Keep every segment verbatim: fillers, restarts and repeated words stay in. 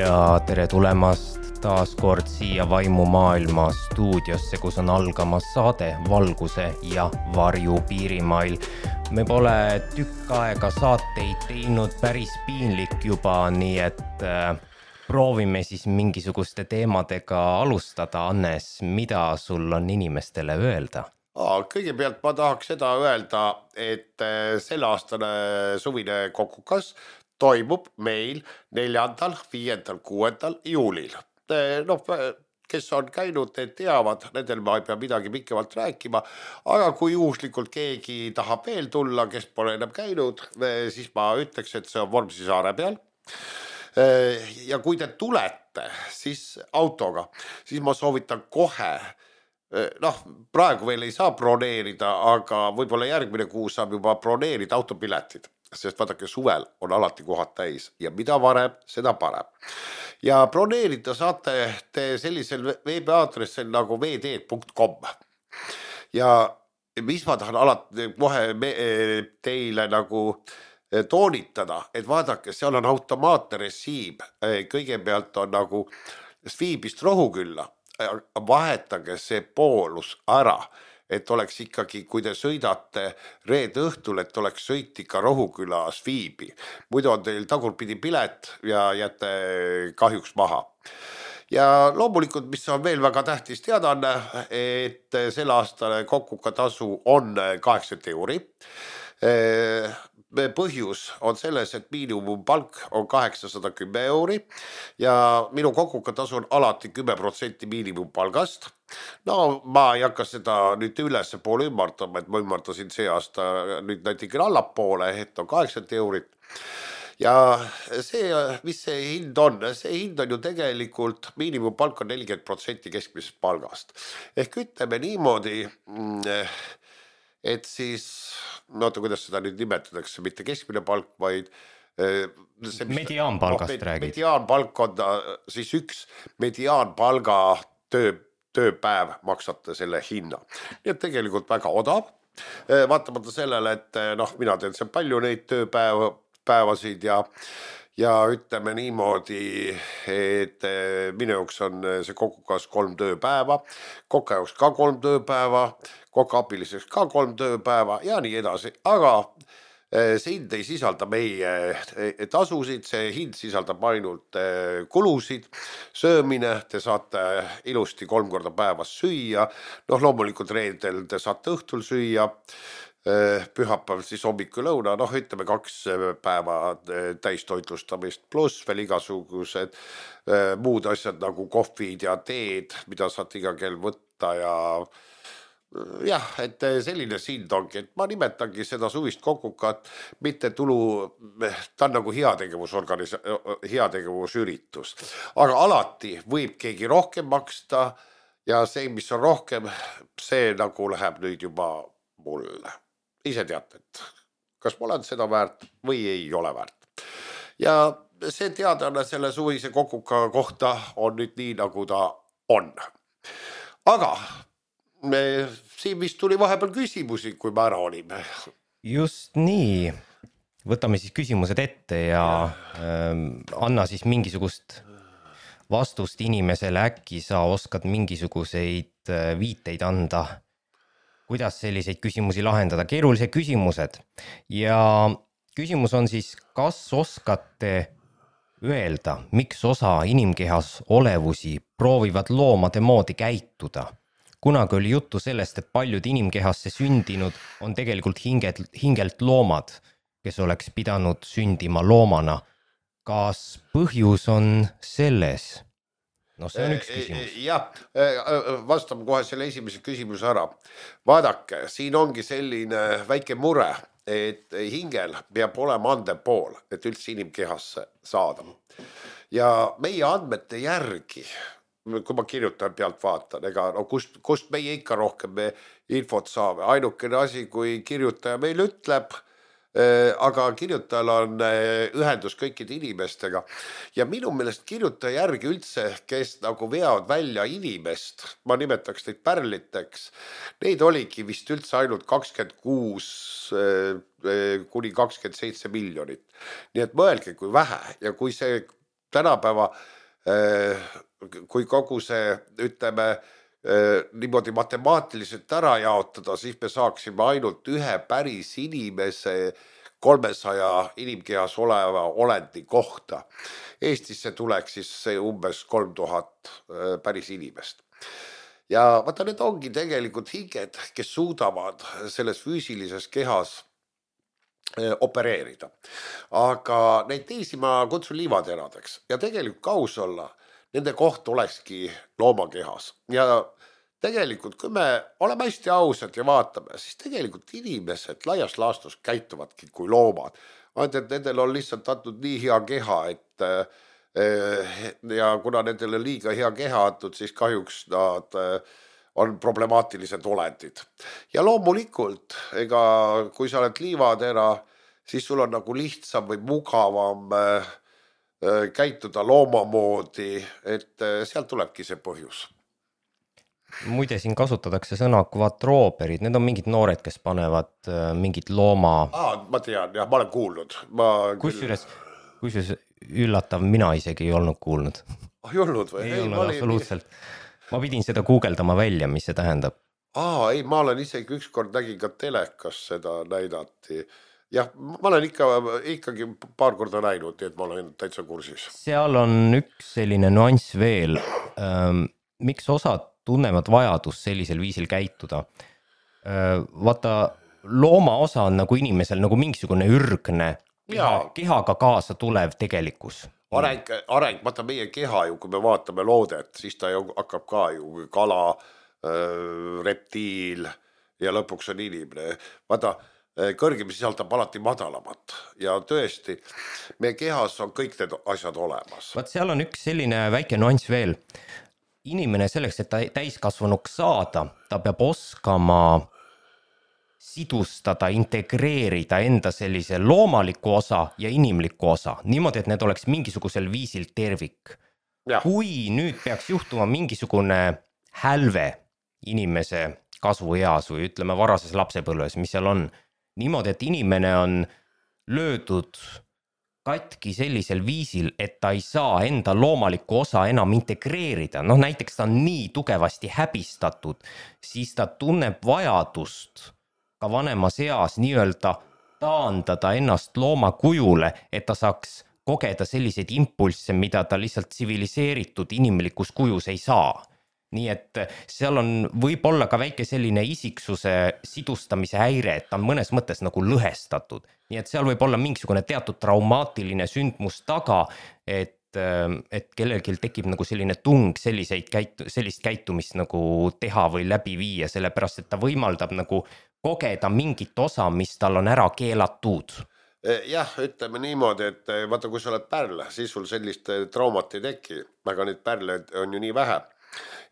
Ja tere tulemast taas kord siia Vaimumaailma stuudiosse, kus on algamas saade Valguse ja varju piirimail. Me pole tükk aega saateid teinud, päris piinlik juba, nii et äh, proovime siis mingisuguste teemadega alustada. Annes, mida sul on inimestele öelda? Kõigepealt ma tahaks seda öelda, et selle aastane suvine kokukas toimub meil neljandal, viiendal, kuuendal juulil. No, kes on käinud, need teavad, nendel ma ei pea midagi pikemalt rääkima, aga kui juhuslikult keegi tahab veel tulla, kes pole enam käinud, siis ma ütleks, et see on Vormsi saare peal. Ja kui te tulete siis autoga, siis ma soovitan kohe, noh, praegu veel ei saa broneerida, aga võib-olla järgmine kuu saab juba broneerida autopiletid, sest vaadake, suvel on alati kohad täis ja mida varem, seda parem. Ja broneerida saate te sellisel veebiaadressil nagu v d punkt com. Ja mis ma tahan alati kohe teile nagu toonitada, et vaadake, seal on automaatne resiim. Kõigepealt on nagu Sviibist Rohukülla. Vahetage see poolus ära, et oleks ikkagi, kui te sõidate reede õhtul, et oleks sõit ikka Rohuküla Sviibi. Muidu on teil tagurpidi pilet ja jätte kahjuks maha. Ja loomulikult, mis on veel väga tähtis teada, on, et selle aastane kokuka tasu on kaheksakümmend euri. Põhjus on selles, et miinimumpalk on kaheksasada kümme euri ja minu kokuka tasu on alati kümme protsenti miinimumpalgast. No ma ei hakka seda nüüd ülesse poole ümmartama, et ma ümmartasin see aasta nüüd näitikene allapoole, et on kaheksakümmend eurit. Ja see, mis see hind on, see hind on ju tegelikult miinimumpalk on nelikümmend protsenti keskmisest palgast. Ehk ütleme niimoodi, et siis, no oota, kuidas seda nüüd nimetatakse, mitte keskmine palk, vaid see, mediaanpalgast no, räägid. Mediaanpalk on siis üks mediaanpalga töö, tööpäev maksate selle hinna. Nii et tegelikult väga odav. Vaatamata sellele, et noh, mina teen see palju neid tööpäevasid ja Ja ütleme niimoodi, et minu jaoks on see kokukas kolm tööpäeva, koka jaoks ka kolm tööpäeva, koka abiliseks ka kolm tööpäeva ja nii edasi. Aga see hind ei sisalda meie tasusid, see hind sisaldab ainult kulusid, söömine, te saate ilusti kolm korda päevas süüa, noh loomulikult reedel te saate õhtul süüa, pühapäev siis hommiku lõuna, noh ütleme kaks päeva täistoitlustamist pluss veel igasugused muud asjad nagu kohvid ja teed, mida saate iga kell võtta ja jah, et selline sind ongi, et ma nimetangi seda suvist kokukat, mitte tulu, ta on nagu heategevusorganis, heategevusüritus, aga alati võib keegi rohkem maksta ja see, mis on rohkem, see nagu läheb nüüd juba mulle. Ise teate, et kas ma olen seda väärt või ei ole väärt. Ja see teadane selle suvise kokuka kohta on nüüd nii, nagu ta on. Aga me, siin vist tuli vahepeal küsimusi, kui me ära olime. Just nii. Võtame siis küsimused ette ja ähm, anna siis mingisugust vastust inimesele, äkki sa oskad mingisuguseid viiteid anda. Kuidas selliseid küsimusi lahendada? Keerulised küsimused. Ja küsimus on siis, kas oskate öelda, miks osa inimkehas olevusi proovivad loomade moodi käituda? Kunagi oli juttu sellest, et paljud inimkehasse sündinud on tegelikult hingelt, hingelt loomad, kes oleks pidanud sündima loomana. Kas põhjus on selles? No see on üks küsimus. Jah, vastame kohe selle esimese küsimuse ära. Vaadake, siin ongi selline väike mure, et hingel peab olema andev pool, et üldse inimkehasse saada. Ja meie andmete järgi, kui ma kirjutajan pealt vaatan, ega no kust, kust meie ikka rohkem me infot saame. Ainukene asi, kui kirjutaja meil ütleb, aga kirjutajal on ühendus kõikide inimestega ja minu meelest kirjutaja järgi üldse, kes nagu veavad välja inimest, ma nimetaks neid pärliteks, neid oligi vist üldse ainult kakskümmend kuus kuni kakskümmend seitse miljonit. Nii et mõelge, kui vähe ja kui see tänapäeva, kui kogu see, ütleme, niimoodi matemaatiliselt ära jaotada, siis me saaksime ainult ühe päris inimese kolmesaja inimkehas oleva olendi kohta. Eestisse tuleks siis see umbes kolm tuhat päris inimest. Ja vaata, need ongi tegelikult hinged, kes suudavad selles füüsilises kehas opereerida. Aga neid teisi ma kutsun liivateradeks ja tegelikult kaus olla, nende koht olekski loomakehas. Ja tegelikult, kui me oleme hästi ausad ja vaatame, siis tegelikult inimesed laias laastus käituvadki kui loomad. Ainult, et nendel on lihtsalt antud nii hea keha, et ja kuna nendele liiga hea keha antud, siis kahjuks nad on problemaatilised olendid. Ja loomulikult, ega kui sa oled liivatera, siis sul on nagu lihtsam või mugavam käituda loomamoodi, et sealt tulebki see põhjus. Muide, siin kasutatakse sõna kvatrooperid, need on mingid noored, kes panevad mingid looma... Aa, ma tean, jah, ma olen kuulnud. Ma kusjuures, kusjuures üllatav, mina isegi ei olnud kuulnud. Ei olnud või? Ei, ei olnud olin... absoluutselt. Ma pidin seda guugeldama välja, mis see tähendab. Aa, ei, ma olen isegi ükskord nägin ka telekas seda näidati. Jah, ma olen ikka, ikkagi paar korda näinud, et ma olen täitsa kursis. Seal on üks selline nüanss veel. Miks osad tunnevad vajadus sellisel viisil käituda? Vaata, looma osa on nagu inimesel nagu mingisugune ürgne, keha, kehaga kaasa tulev tegelikkus. Areng, areng, vaata meie keha ju, kui me vaatame loodet, siis ta ju hakkab ka ju kala, reptiil ja lõpuks on inimene. Vaata, kõrgem sisaldab alati madalamat ja tõesti, meie kehas on kõik need asjad olemas. Vaat seal on üks selline väike nüanss veel. Inimene selleks, et ta täiskasvanuks saada, ta peab oskama sidustada, integreerida enda sellise loomaliku osa ja inimliku osa. Niimoodi, et need oleks mingisugusel viisil tervik. Ja. Kui nüüd peaks juhtuma mingisugune hälve inimese kasvueas või ütleme varases lapsepõlves, mis seal on, niimoodi, et inimene on löödud katki sellisel viisil, et ta ei saa enda loomalikku osa enam integreerida. Noh, näiteks ta on nii tugevasti häbistatud, siis ta tunneb vajadust ka vanemas eas nii-öelda taandada ennast looma kujule, et ta saaks kogeda selliseid impulsse, mida ta lihtsalt tsiviliseeritud inimlikus kujus ei saa. Nii et seal on võib-olla ka väike selline isiksuse sidustamise häire, et ta on mõnes mõttes nagu lõhestatud. Nii et seal võib olla mingisugune teatud traumaatiline sündmus taga, et, et kellelgi tekib nagu selline tung selliseid käitu, sellist käitumist nagu teha või läbi viia, sellepärast et ta võimaldab nagu kogeda mingit osa, mis tal on ära keelatud. Jah, ütleme niimoodi, et vaata, kui sa oled pärl, siis sul sellist traumat ei teki, aga neid pärle on ju nii vähe.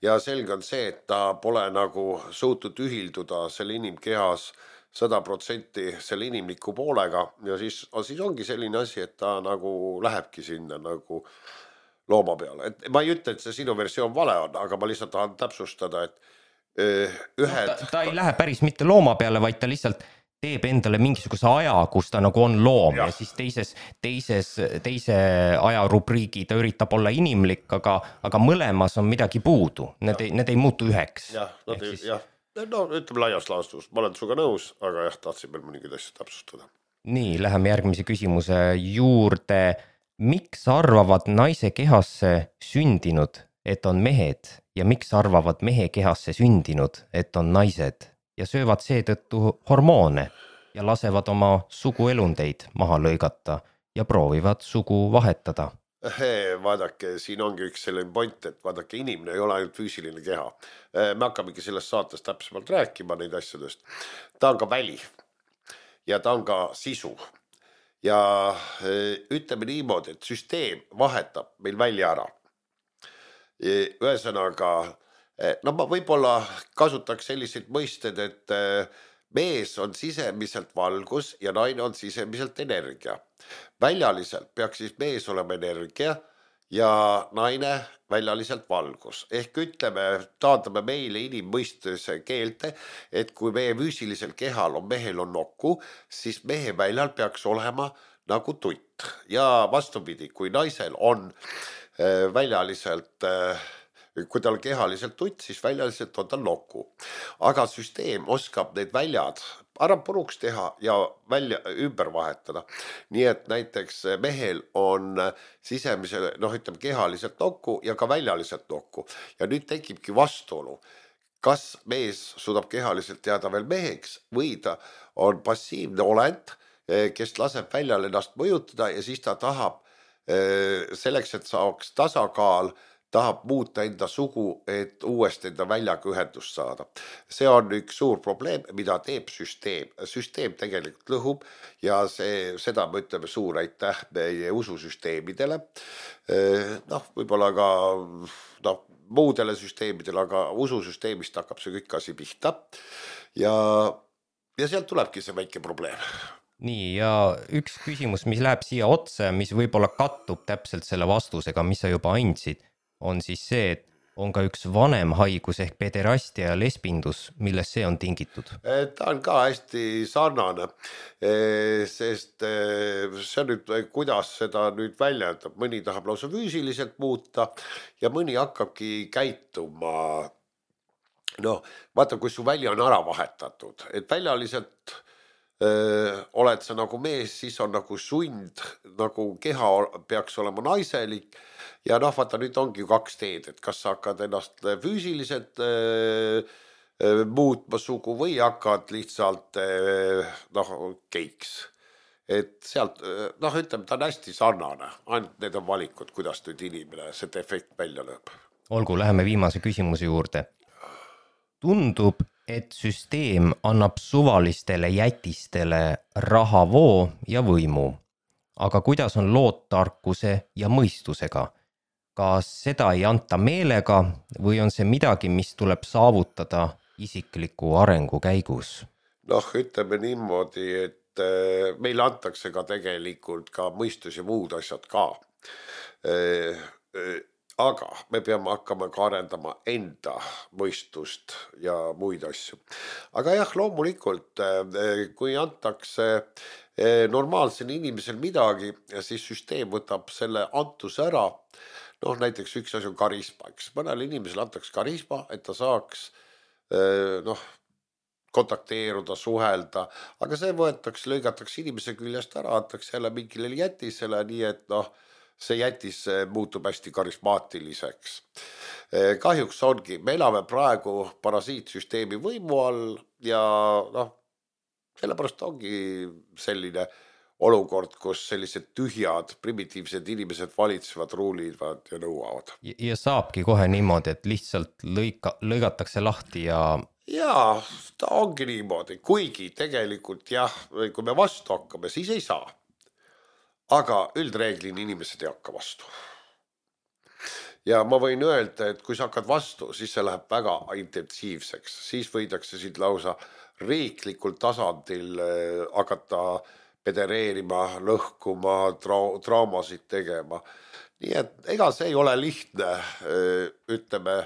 Ja selge on see, et ta pole nagu suutnud ühilduda selle inimkehas sada protsenti selle inimliku poolega ja siis, siis ongi selline asi, et ta nagu lähebki sinna nagu looma peale. Et ma ei ütle, et see sinu versioon vale on, aga ma lihtsalt tahan täpsustada, et ühed... Ta, ta ei lähe päris mitte looma peale, vaid ta lihtsalt teeb endale mingisuguse aja, kus ta nagu on loom ja, ja siis teises, teises, teise ajarubriigi ta üritab olla inimlik, aga, aga mõlemas on midagi puudu. Need, ei, need ei muutu üheks. Jah, nad ei, siis... jah. No ütleme laias laastus, ma olen suga nõus, aga jah, tahtsin veel mõningid asjad täpsustada. Nii, läheme järgmise küsimuse juurde. Miks arvavad naise kehasse sündinud, et on mehed ja miks arvavad mehe kehasse sündinud, et on naised ja söövad seetõttu hormoone ja lasevad oma suguelundeid maha lõigata ja proovivad sugu vahetada? Vaadake, siin ongi üks selline point, et vaadake, inimene ei ole ainult füüsiline keha. Me hakkamegi sellest saates täpsemalt rääkima neid asjadest. Ta on ka väli ja ta on ka sisu. Ja ütleme niimoodi, et süsteem vahetab meil välja ära. Ühesõnaga, no ma võib-olla kasutaks selliseid mõisted, et mees on sisemiselt valgus ja naine on sisemiselt energia. Väljaliselt peaks siis mees olema energia ja naine väljaliselt valgus. Ehk ütleme, taandame meile inimmõistuse keelte, et kui meie füüsilisel kehal on, mehel on nokku, siis mehe väljal peaks olema nagu tutt ja vastupidi, kui naisel on äh, väljaliselt äh, kui tal kehaliselt tutt, siis väljaliselt on tal noku. Aga süsteem oskab need väljad ära puruks teha ja välja ümber vahetada. Nii et näiteks mehel on sisemise, noh ütleme kehaliselt nokku ja ka väljaliselt nokku. Ja nüüd tekibki vastuolu. Kas mees suudab kehaliselt jääda veel meheks või ta on passiivne olend, kes laseb väljal ennast mõjutada ja siis ta tahab selleks, et saaks tasakaal, tahab muuta enda sugu, et uuesti enda väljaga ühendust saada. See on üks suur probleem, mida teeb süsteem. Süsteem tegelikult lõhub ja see, seda me ütleme suur aitäh meie ususüsteemidele. Noh, võib-olla ka noh, muudele süsteemidele, aga ususüsteemist hakkab see kõik asi pihta. Ja, ja sealt tulebki see väike probleem. Nii, ja üks küsimus, mis läheb siia otse, mis võib-olla kattub täpselt selle vastusega, mis sa juba andsid, on siis see, et on ka üks vanem haigus ehk pederastia ja lesbindus, millest see on tingitud? Ta on ka hästi sarnane, sest see on nüüd, kuidas seda nüüd välja ütleb, mõni tahab lausa füüsiliselt muuta ja mõni hakkabki käituma. Noh, vaata, kui su välja on ära vahetatud, et väljaliselt öö, oled sa nagu mees, siis on nagu sund, nagu keha peaks olema naiselik. Ja noh, vaata, nüüd ongi kaks teed, et kas sa hakkad ennast füüsiliselt öö, muutma sugu või hakkad lihtsalt noh, keiks. Et sealt, noh, ütleme, ta on hästi sarnane, ainult need on valikud, kuidas nüüd inimene see efekt välja lööb. Olgu, läheme viimase küsimuse juurde. Tundub, et süsteem annab suvalistele jätistele rahavoo ja võimu. Aga kuidas on lood tarkuse ja mõistusega? Kas seda ei anta meelega või on see midagi, mis tuleb saavutada isikliku arengu käigus? Noh, ütleme niimoodi, et meil antakse ka tegelikult ka mõistus ja muud asjad ka. Aga me peame hakkama ka arendama enda mõistust ja muid asju. Aga jah, loomulikult, kui antakse normaalsel inimesel midagi, siis süsteem võtab selle antuse ära. Noh, näiteks üks asi on karisma, eks mõnel inimesel antakse karisma, et ta saaks noh, kontakteeruda, suhelda, aga see võetakse, lõigatakse inimese küljest ära, antakse jälle mingile jätisele, nii et noh, see jätis muutub hästi karismaatiliseks. Kahjuks ongi, me elame praegu parasiitsüsteemi võimu all ja noh, sellepärast ongi selline olukord, kus sellised tühjad, primitiivsed inimesed valitsevad, ruulivad ja nõuavad. Ja, ja saabki kohe niimoodi, et lihtsalt lõika, lõigatakse lahti ja... Jaa, ta ongi niimoodi, kuigi tegelikult jah, kui me vastu hakkame, siis ei saa. Aga üldreeglin inimesed ei hakka vastu. Ja ma võin öelda, et kui sa hakkad vastu, siis see läheb väga intensiivseks. Siis võidakse siit lausa riiklikul tasandil hakata pedereerima, lõhkuma, tra- traamasid tegema. Nii et ega see ei ole lihtne, ütleme,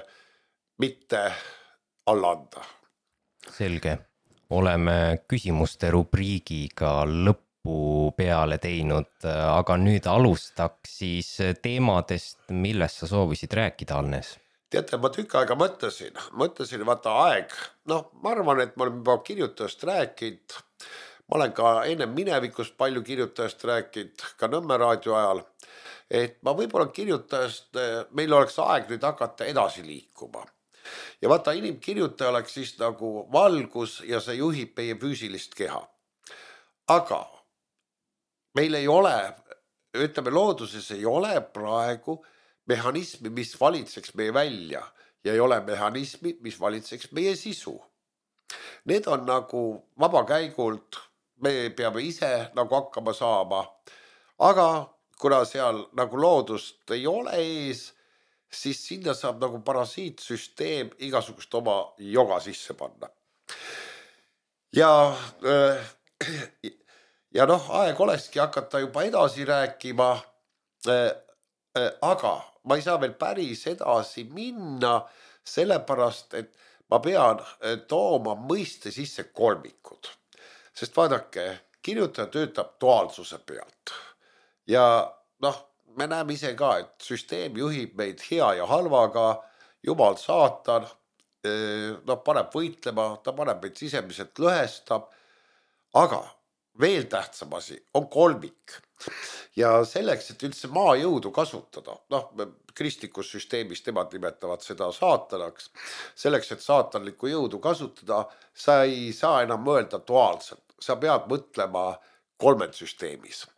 mitte alla anda. Selge. Oleme küsimuste rubriigiga lõpp peale teinud, aga nüüd alustaks siis teemadest, millest sa soovisid rääkida, Alnes? Teate, ma tükk aega mõtlesin, mõtlesin vaata aeg, noh, ma arvan, et ma olen juba kirjutajast rääkinud, ma olen ka enne minevikust palju kirjutajast rääkinud, ka Nõmme raadio ajal, et ma võib-olla kirjutajast, meil oleks aeg nüüd hakata edasi liikuma. Ja vaata, inimkirjutaja oleks siis nagu valgus ja see juhib meie füüsilist keha. Aga meil ei ole, ütleme looduses ei ole praegu mehhanismi, mis valitseks meie välja ja ei ole mehhanismi, mis valitseks meie sisu. Need on nagu vabakäigult, me peame ise nagu hakkama saama, aga kuna seal nagu loodust ei ole ees, siis sinna saab nagu parasiitsüsteem igasugust oma joga sisse panna. Ja äh, Ja noh, aeg olekski hakata juba edasi rääkima, aga ma ei saa veel päris edasi minna, sellepärast, et ma pean tooma mõiste sisse kolmikud. Sest vaadake, kirjutaja töötab duaalsuse pealt ja noh, me näeme ise ka, et süsteem juhib meid hea ja halvaga, jumal saatan, noh, paneb võitlema, ta paneb meid sisemiselt lõhestab, aga veel tähtsam asi on kolmik ja selleks, et üldse maajõudu kasutada, noh, kristlikus süsteemis temad nimetavad seda saatanaks, selleks, et saatanlikku jõudu kasutada, sa ei saa enam mõelda duaalselt, sa pead mõtlema kolmed süsteemis.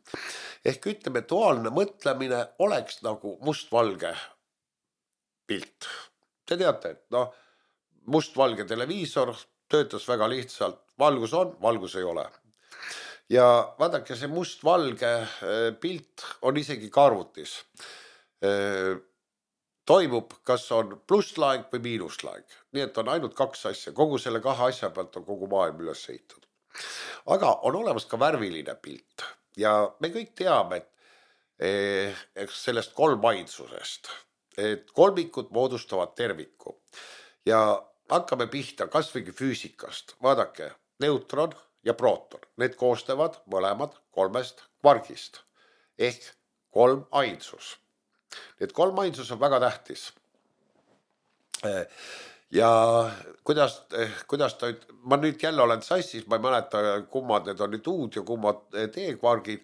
Ehk ütleme, duaalne mõtlemine oleks nagu mustvalge pilt. Te teate, et noh, mustvalge televiisor töötas väga lihtsalt, valgus on, valgus ei ole. Ja vaadake, see mustvalge pilt on isegi ka arvutis. Toimub, kas on plusslaeng või miinuslaeng. Nii et on ainult kaks asja, kogu selle kahe asja pealt on kogu maailm üles ehitatud. Aga on olemas ka värviline pilt ja me kõik teame, et sellest kolmainsusest, et kolmikud moodustavad terviku ja hakkame pihta kasvõi füüsikast. Vaadake, neutron ja prooton, need koostavad mõlemad kolmest kvargist ehk kolm ainsus. Need kolm ainsus on väga tähtis. Ja kuidas, kuidas ta, ma nüüd jälle olen sassis, ma ei mäleta, kummad need on nüüd uud ja kummad T-kvargid,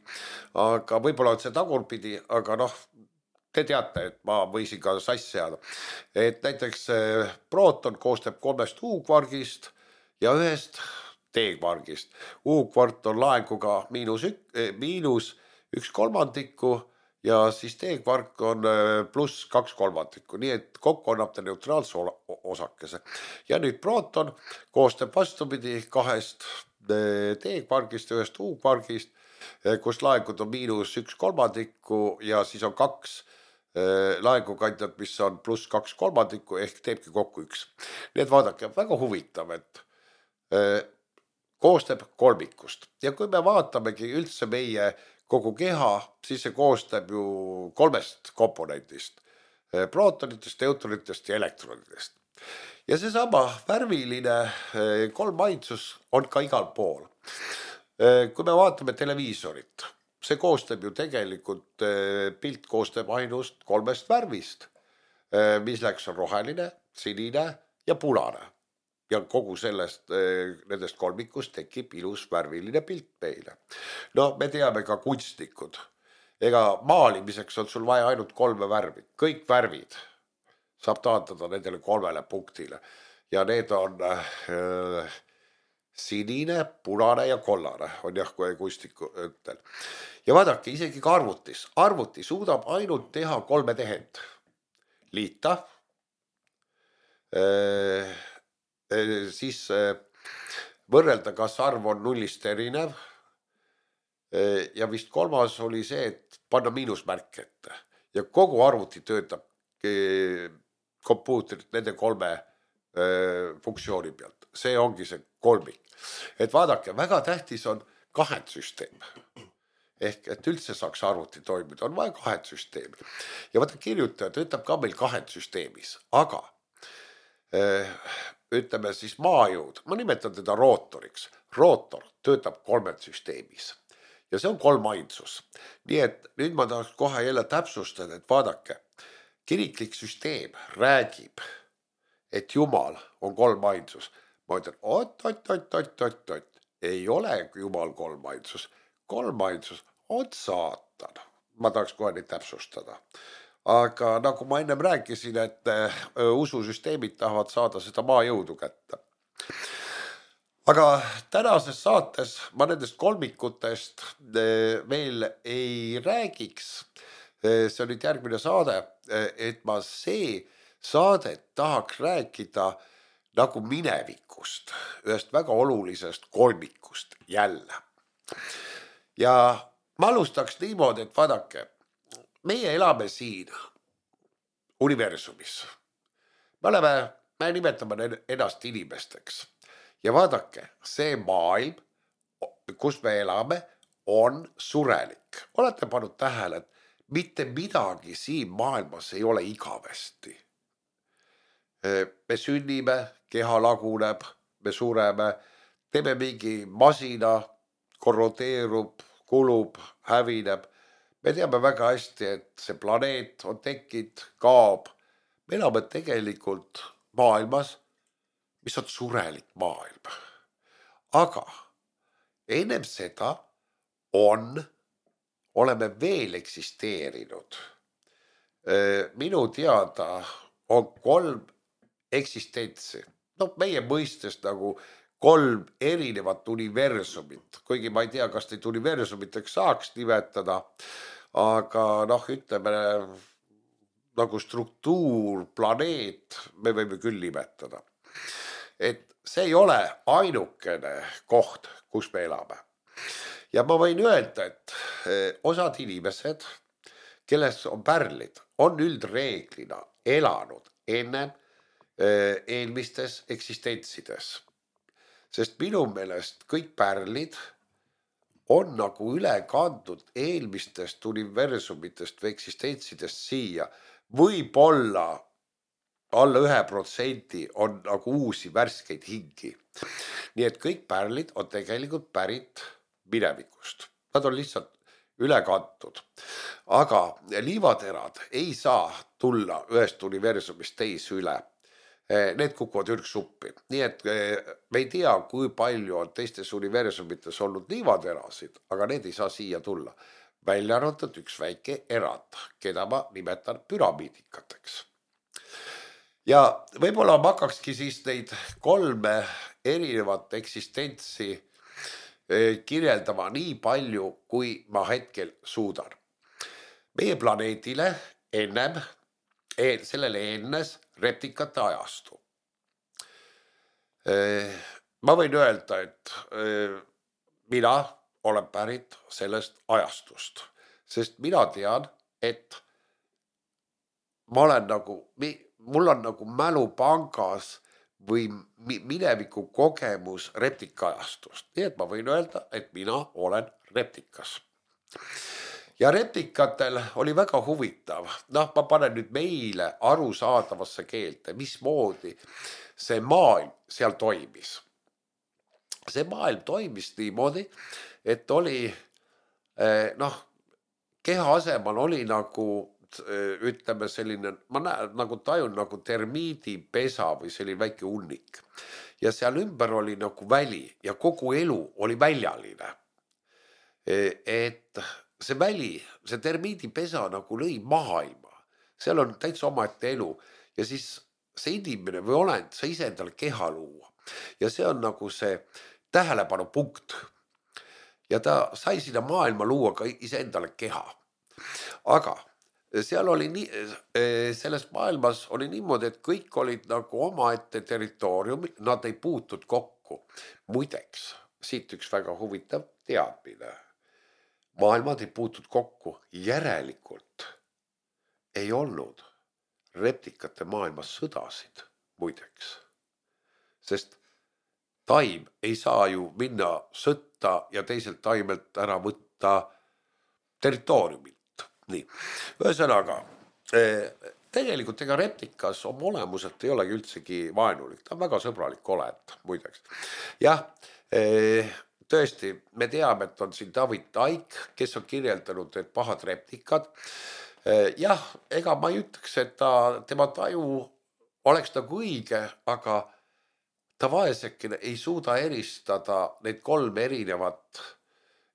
aga võib-olla on see tagurpidi, aga noh, te teate, et ma võisin ka sass seada. Et näiteks prooton koostab kolmest U-kvargist ja ühest T-kvargist. U-kvart on laenguga miinus, ük, miinus üks kolmandiku ja siis T-kvark on pluss kaks kolmandikku, nii et kokku annab ta neutraalse osakese. Ja nüüd prooton koostab vastupidi kahest T-kvargist ja ühest U-kvargist, kus laengud on miinus üks kolmandikku ja siis on kaks laengukandjat, mis on pluss kaks kolmandikku ehk teebki kokku üks. Nii et vaadake, väga huvitav, et koostab kolmikust ja kui me vaatamegi üldse meie kogu keha, siis see koostab ju kolmest komponentist, prootonitest, neutronitest ja elektronitest. Ja see sama värviline kolmainsus on ka igal pool. Kui me vaatame televiisorit, see koostab ju tegelikult, pilt koostab ainust kolmest värvist, mis läks on roheline, sinine ja punane. Ja kogu sellest, nendest kolmikust tekib ilus värviline pilt meile. No me teame ka kunstnikud. Ega maalimiseks on sul vaja ainult kolme värvi. Kõik värvid saab taandada nendele kolmele punktile. Ja need on äh, sinine, punane ja kollane. On jah, kui kunstniku ütel. Ja vaadake, isegi ka arvutis. Arvuti suudab ainult teha kolme tehend. Liita. Äh, siis võrrelda, kas arv on nullist erinev ja vist kolmas oli see, et panna miinusmärk ette ja kogu arvuti töötab kompuutrit nende kolme funktsiooni pealt. See ongi see kolmik. Et vaadake, väga tähtis on kahendsüsteem. Ehk et üldse saaks arvuti toimida, on vaja kahendsüsteemi. Ja vaata, kirjutaja töötab ka meil kahendsüsteemis, aga ütleme siis maajõud, ma nimetan teda rootoriks. Rootor töötab kolmed süsteemis ja see on kolmainsus. Nii et nüüd ma tahaks kohe jälle täpsustada, et vaadake, kiriklik süsteem räägib, et Jumal on kolmainsus. Ma ütlen, ot, ot, ot, ot, ot, ot, ei ole Jumal kolmainsus. Kolmainsus on saatan. Ma tahaks kohe neid täpsustada. Aga nagu ma ennem rääkisin, et ususüsteemid tahavad saada seda maajõudu kätte. Aga tänases saates ma nendest kolmikutest veel ei räägiks. See on nüüd järgmine saade, et ma see saadet tahaks rääkida nagu minevikust, ühest väga olulisest kolmikust jälle. Ja ma alustaks niimoodi, et vaadake, meie elame siin universumis. Me oleme, me nimetame ennast inimesteks. Ja vaadake, see maailm, kus me elame, on surelik. Olete pannud tähele, et mitte midagi siin maailmas ei ole igavesti. Me sünnime, keha laguneb, me sureme, teeme mingi masina, korrodeerub, kulub, hävineb. Me teame väga hästi, et see planeet on tekkinud, kaob. Me elame tegelikult maailmas, mis on surelik maailm. Aga ennem seda on, oleme veel eksisteerinud. Minu teada on kolm eksistentsi. No meie mõistes nagu kolm erinevat universumit, kuigi ma ei tea, kas neid universumiteks saaks nimetada, aga noh, ütleme nagu struktuur, planeet, me võime küll nimetada. Et see ei ole ainukene koht, kus me elame. Ja ma võin öelda, et osad inimesed, kelles on pärlid, on üldreeglina elanud ennem eelmistes eksistentsides. Sest minu meelest kõik pärlid on nagu üle kandnud eelmistest universumitest või eksistentsidest siia. Võib-olla alla ühe protsendi on nagu uusi värskeid hingi. Nii et kõik pärlid on tegelikult pärit minevikust. Nad on lihtsalt üle kantud. Aga liivaterad ei saa tulla ühest universumist teise üle. Need kukuvad ürgsuppi. Nii et me ei tea, kui palju on teistes universumites olnud liivaterasid, aga need ei saa siia tulla. Välja arvatud üks väike erand, keda ma nimetan püramiidikateks. Ja võib-olla ma hakkakski siis neid kolme erinevat eksistentsi kirjeldama nii palju, kui ma hetkel suudan. Meie planeedile ennem, sellele ennes reptikate ajastu. Ma võin öelda, et mina olen pärit sellest ajastust, sest mina tean, et ma olen nagu, mul on nagu mälupangas või mineviku kogemus reptikaajastust. Nii et ma võin öelda, et mina olen reptikas. Ja replikatel oli väga huvitav. Noh, ma panen nüüd meile arusaadavasse keelte, mismoodi see maailm seal toimis. See maailm toimis niimoodi, et oli, noh, keha asemal oli nagu, ütleme selline, ma näen, nagu tajun nagu termiidipesa või selline väike unnik. Ja seal ümber oli nagu väli ja kogu elu oli väljaline. Et see väli, see termiidipesa nagu lõi maailma. Seal on täitsa omaette elu ja siis see inimene või olend, sa ise endale keha luua. Ja see on nagu see tähelepanu punkt. Ja ta sai sinna maailma luua ka ise endale keha. Aga seal oli nii, selles maailmas oli niimoodi, et kõik olid nagu omaette territooriumil, nad ei puutud kokku. Muideks, siit üks väga huvitav teadmine. Maailmad ei puutud kokku, järelikult ei olnud reptikate maailmas sõdasid, muideks. Sest taim ei saa ju minna sõtta ja teiselt taimelt ära võtta territooriumilt. Nii, ühesõnaga, tegelikult ega reptikas oma olemuselt ei olegi üldsegi vaenulik, ta on väga sõbralik olend, muideks. Jah, tõesti, me teame, et on siin David Taik, kes on kirjeldanud, et pahad reptikad. Jah, ega ma ei ütleks, et ta, tema taju oleks nagu õige, aga ta vaesekene ei suuda eristada neid kolm erinevat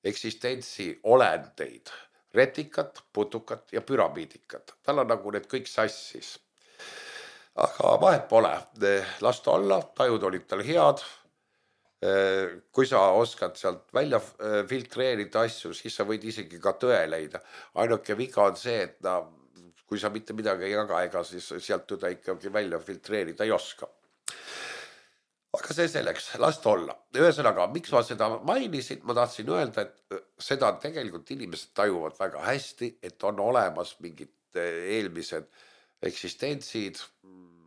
eksistentsi olendeid. Reptikat, putukat ja püramiidikat. Tal on nagu need kõik sassis. Aga vahet pole, las ta olla, tajud olid tal head. Kui sa oskad sealt välja filtreerida asju, siis sa võid isegi ka tõe leida. Ainuke viga on see, et na, kui sa mitte midagi ei jaga, ega siis sealt tõde ikkagi välja filtreerida ei oska. Aga see selleks, las ta olla. Ühesõnaga, miks ma seda mainisin, ma tahtsin öelda, et seda tegelikult inimesed tajuvad väga hästi, et on olemas mingid eelmised eksistentsid,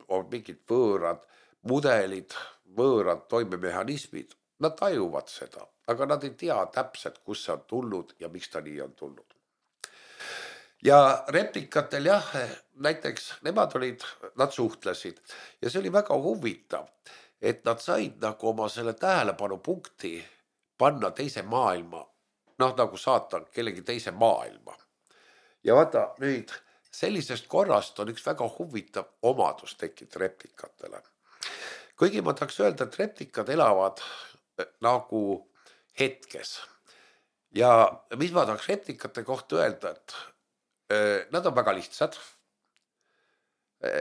on mingid võõrad mudelid, võõrad toimemehhanismid, nad tajuvad seda, aga nad ei tea täpselt, kus see on tulnud ja miks ta nii on tulnud. Ja replikatel jah, näiteks nemad olid, nad suhtlesid ja see oli väga huvitav, et nad said nagu oma selle tähelepanu punkti panna teise maailma, noh nagu saata kellegi teise maailma. Ja vaata nüüd sellisest korrast on üks väga huvitav omadus tekkinud replikatele. Kuigi ma tahaks öelda, et replikad elavad nagu hetkes. Ja mis ma tahaks replikate kohta öelda, et nad on väga lihtsad.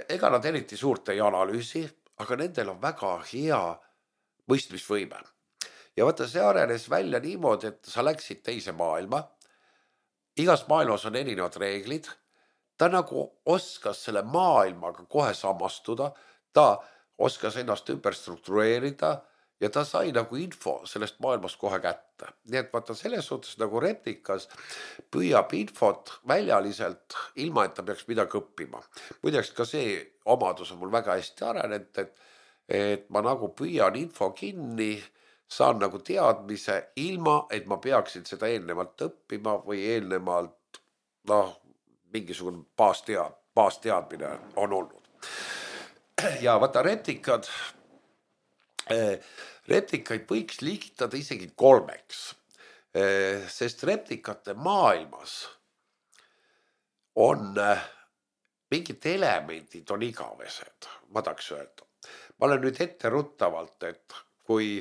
Ega nad eriti suurt ei analüüsi, aga nendel on väga hea mõistmisvõime. Ja vaata, see arenes välja niimoodi, et sa läksid teise maailma. Igas maailmas on erinevad reeglid. Ta nagu oskas selle maailmaga kohe samastuda. Ta oskas ennast ümber struktureerida ja ta sai nagu info sellest maailmast kohe kätte. Nii et vaata selles suhtes nagu replikas püüab infot väljaliselt ilma, et ta peaks midagi õppima. Muideks ka see omadus on mul väga hästi arenenud, et, et ma nagu püüan info kinni, saan nagu teadmise ilma, et ma peaksin seda eelnevalt õppima või eelnevalt noh, mingisugune baastead, baasteadmine on olnud. Ja vaata replikad, replikaid võiks liigitada isegi kolmeks, sest replikate maailmas on mingid elemendid on igavesed, ma tahaks öelda. Ma olen nüüd ette ruttavalt, et kui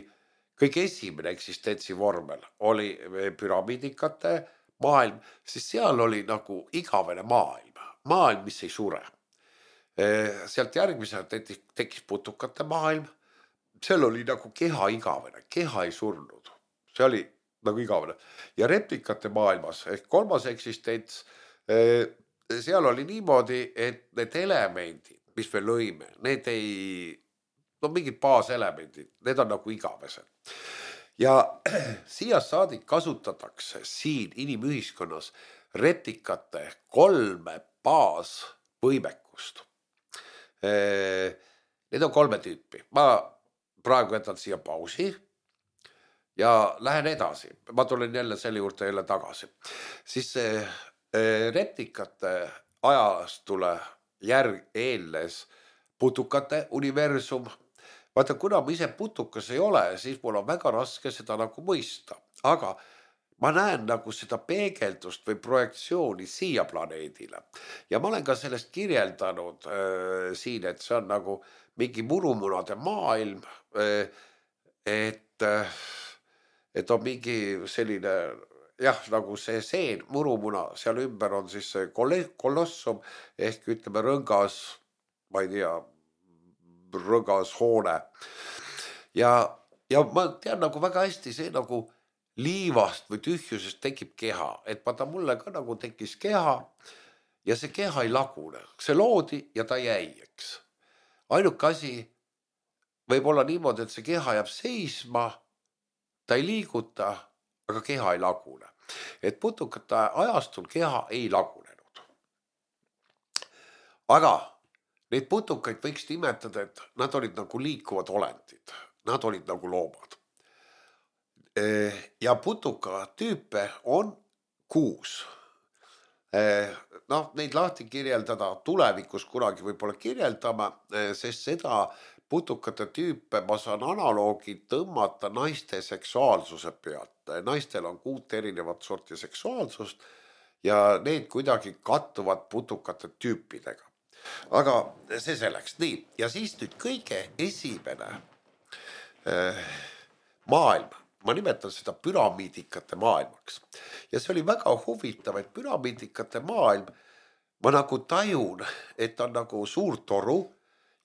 kõige esimene eksistentsi vormel oli püramiidikate maailm, siis seal oli nagu igavene maailm, maailm, mis ei sure. Sealt järgmisena tekkis putukate maailm, seal oli nagu keha igavene, keha ei surnud, see oli nagu igavene. Ja replikate maailmas ehk kolmas eksistents, seal oli niimoodi, et need elemendid, mis me lõime, need ei, no mingid baaselemendid, need on nagu igavesed. Ja siia saadik kasutatakse siin inimühiskonnas replikate kolme baasvõimekust. Need on kolme tüüpi. Ma praegu jätan siia pausi ja lähen edasi. Ma tulen jälle selle juurde jälle tagasi. Siis replikate ajastule järg eelnes putukate universum. Vaata, kuna ma ise putukas ei ole, siis mul on väga raske seda nagu mõista. Aga ma näen nagu seda peegeldust või projektsiooni siia planeedile. Ja ma olen ka sellest kirjeldanud äh, siin, et see on nagu mingi murumunade maailm, äh, et, äh, et on mingi selline, jah, nagu see seen, murumuna, seal ümber on siis see kolossum ehk ütleme rõngas, ma ei tea, rõngas hoone. Ja, ja ma tean nagu väga hästi see nagu liivast või tühjusest tekib keha, et vaata mulle ka nagu tekkis keha ja see keha ei lagune, see loodi ja ta jäi, eks. Ainuke asi võib olla niimoodi, et see keha jääb seisma, ta ei liiguta, aga keha ei lagune. Et putukate ajastul keha ei lagunenud. Aga neid putukaid võiks nimetada, et nad olid nagu liikuvad olendid, nad olid nagu loomad. Ja putuka tüüpe on kuus. Noh, neid lahti kirjeldada tulevikus kunagi võib-olla kirjeldama, sest seda putukate tüüpe ma saan analoogi tõmmata naiste seksuaalsuse pealt. Naistel on kuut erinevat sorti seksuaalsust ja need kuidagi kattuvad putukate tüüpidega. Aga see selleks. Nii, ja siis nüüd kõige esimene äh, maailm. Ma nimetan seda püramiidikate maailmaks. Ja see oli väga huvitav, et püramiidikate maailm, ma nagu tajun, et on nagu suur toru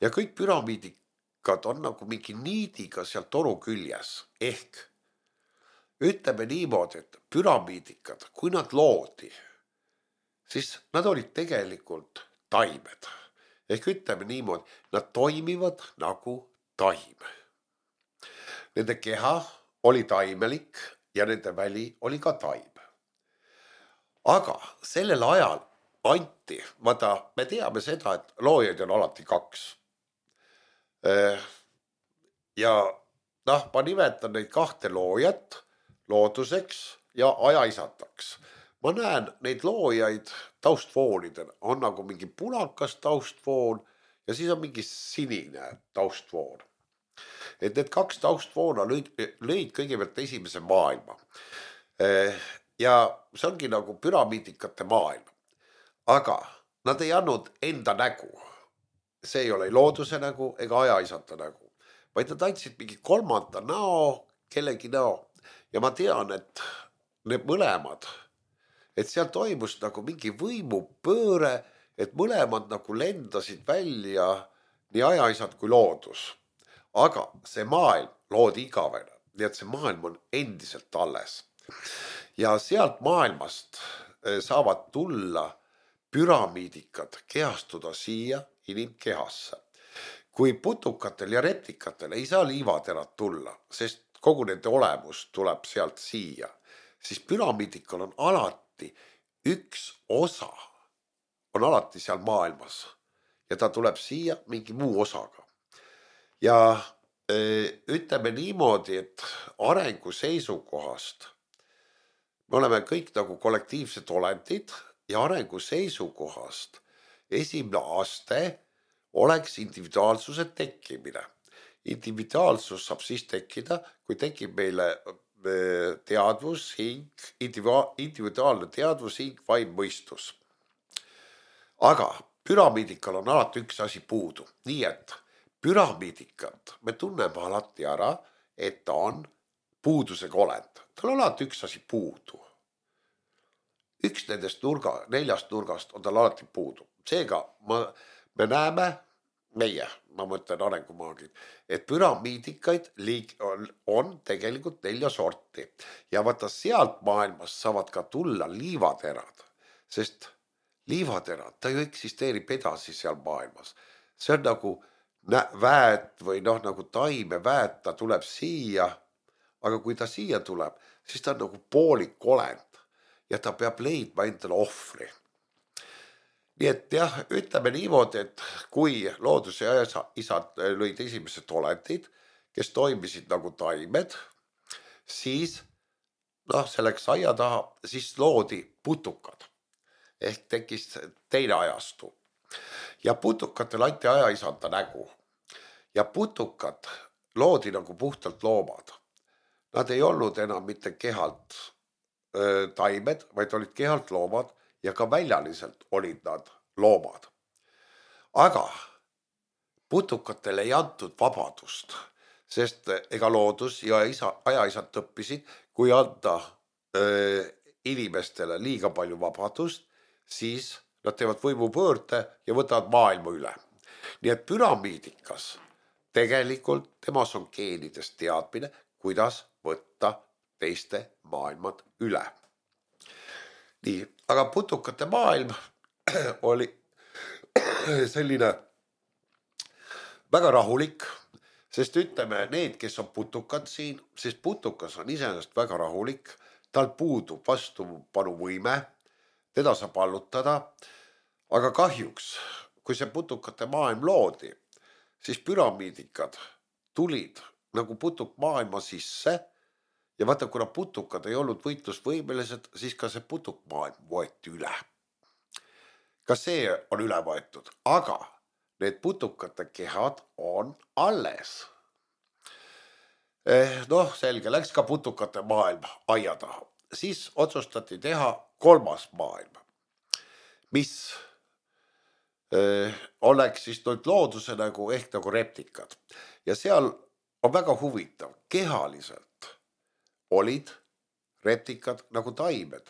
ja kõik püramiidikad on nagu mingi niidiga seal toru küljes. Ehk ütleme niimoodi, et püramiidikad, kui nad loodi, siis nad olid tegelikult taimed. Ehk ütleme niimoodi, nad toimivad nagu taim. Nende keha oli taimelik ja nende väli oli ka taim. Aga sellel ajal anti, vaata, me teame seda, et loojaid on alati kaks. Ja noh, ma nimetan neid kahte loojat looduseks ja ajaisataks. Ma näen neid loojaid taustfoonidel, on nagu mingi punakas taustfoon ja siis on mingi sinine taustfoon. et need kaks taustvoona lõid, lõid kõigepealt esimese maailma. Ja see ongi nagu püramiidikate maailm, aga nad ei andnud enda nägu. See ei ole looduse nägu ega ajaisata nägu, vaid nad andsid mingi kolmanda näo, kellegi näo. Ja ma tean, et need mõlemad, et seal toimus nagu mingi võimupööre, et mõlemad nagu lendasid välja nii ajaisad kui loodus. Aga see maailm loodi igavene, nii et see maailm on endiselt alles. Ja sealt maailmast saavad tulla püramiidikad, kehastuda siia inimkehasse. Kui putukatel ja reptikatel ei saa liivaterad tulla, sest kogu nende olemus tuleb sealt siia, siis püramiidikal on alati üks osa, on alati seal maailmas ja ta tuleb siia mingi muu osaga. Ja ütleme niimoodi, et arengu seisukohast me oleme kõik nagu kollektiivsed olendid ja arengu seisukohast esimene aste oleks individuaalsuse tekkimine. Individuaalsus saab siis tekkida, kui tekib meile teadvus, hing, individuaalne teadvus, hing, vaim, mõistus. Aga püramiidikal on alati üks asi puudu, nii et püramiidikat me tunneme alati ära, et ta on puudusega olend. Tal on alati üks asi puudu. Üks nendest nurga, neljast nurgast on tal alati puudu. Seega ma, me näeme, meie, ma mõtlen arengumaagid, et püramiidikaid liik on, on tegelikult nelja sorti. Ja vaata sealt maailmast saavad ka tulla liivaterad, sest liivaterad, ta ju eksisteerib edasi seal maailmas. See on nagu väet või noh, nagu taime väet, ta tuleb siia, aga kui ta siia tuleb, siis ta on nagu poolik olend ja ta peab leidma endale ohvri. Nii et jah, ütleme niimoodi, et kui loodus ja isad lõid esimesed olendid, kes toimisid nagu taimed, siis noh, selleks aia taha, siis loodi putukad ehk tekkis teine ajastu. Ja putukatel anti ajaisanda nägu ja putukad loodi nagu puhtalt loomad. Nad ei olnud enam mitte kehalt öö, taimed, vaid olid kehalt loomad ja ka väljaliselt olid nad loomad. Aga putukatel ei antud vabadust, sest ega loodus ja isa, ajaisad õppisid, kui anda öö, inimestele liiga palju vabadust, siis nad teevad võimupöörde ja võtavad maailma üle. Nii et püramiidikas tegelikult temas on geenidest teadmine, kuidas võtta teiste maailmad üle. Nii, aga putukate maailm oli selline väga rahulik, sest ütleme need, kes on putukad siin, sest putukas on iseenesest väga rahulik, tal puudub vastupanuvõime, teda saab allutada, aga kahjuks, kui see putukate maailm loodi, siis püramiidikad tulid nagu putuk maailma sisse ja vaata, kuna putukad ei olnud võitlusvõimelised, siis ka see putuk maailm võeti üle. Ka see on üle võetud, aga need putukate kehad on alles. Eh, noh, selge, läks ka putukate maailm aia taha. Siis otsustati teha kolmas maailm, mis eh, oleks siis nüüd looduse nagu ehk nagu reptikad. Ja seal on väga huvitav, kehaliselt olid reptikad nagu taimed,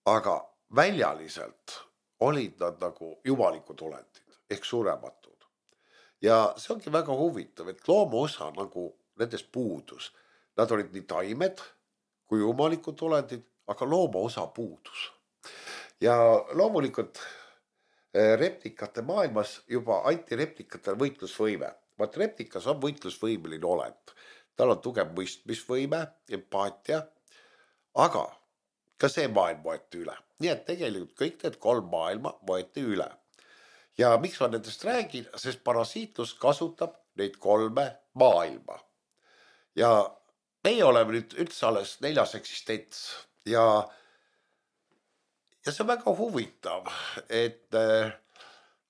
aga väljaliselt olid nad nagu jumalikud olendid ehk surematud. Ja see ongi väga huvitav, et looma osa nagu nendest puudus. Nad olid nii taimed kui jumalikud olendid, aga looma osa puudus. Ja loomulikult reptikate maailmas juba anti reptikatel võitlusvõime. Vaat reptikas on võitlusvõimeline olend. Tal on tugev mõistmisvõime, empaatia, aga ka see maailm võeti üle. Nii et tegelikult kõik need kolm maailma võeti üle. Ja miks ma nendest räägin, sest parasiitlus kasutab neid kolme maailma. Ja meie oleme nüüd üldse alles neljas eksistents ja, ja see on väga huvitav, et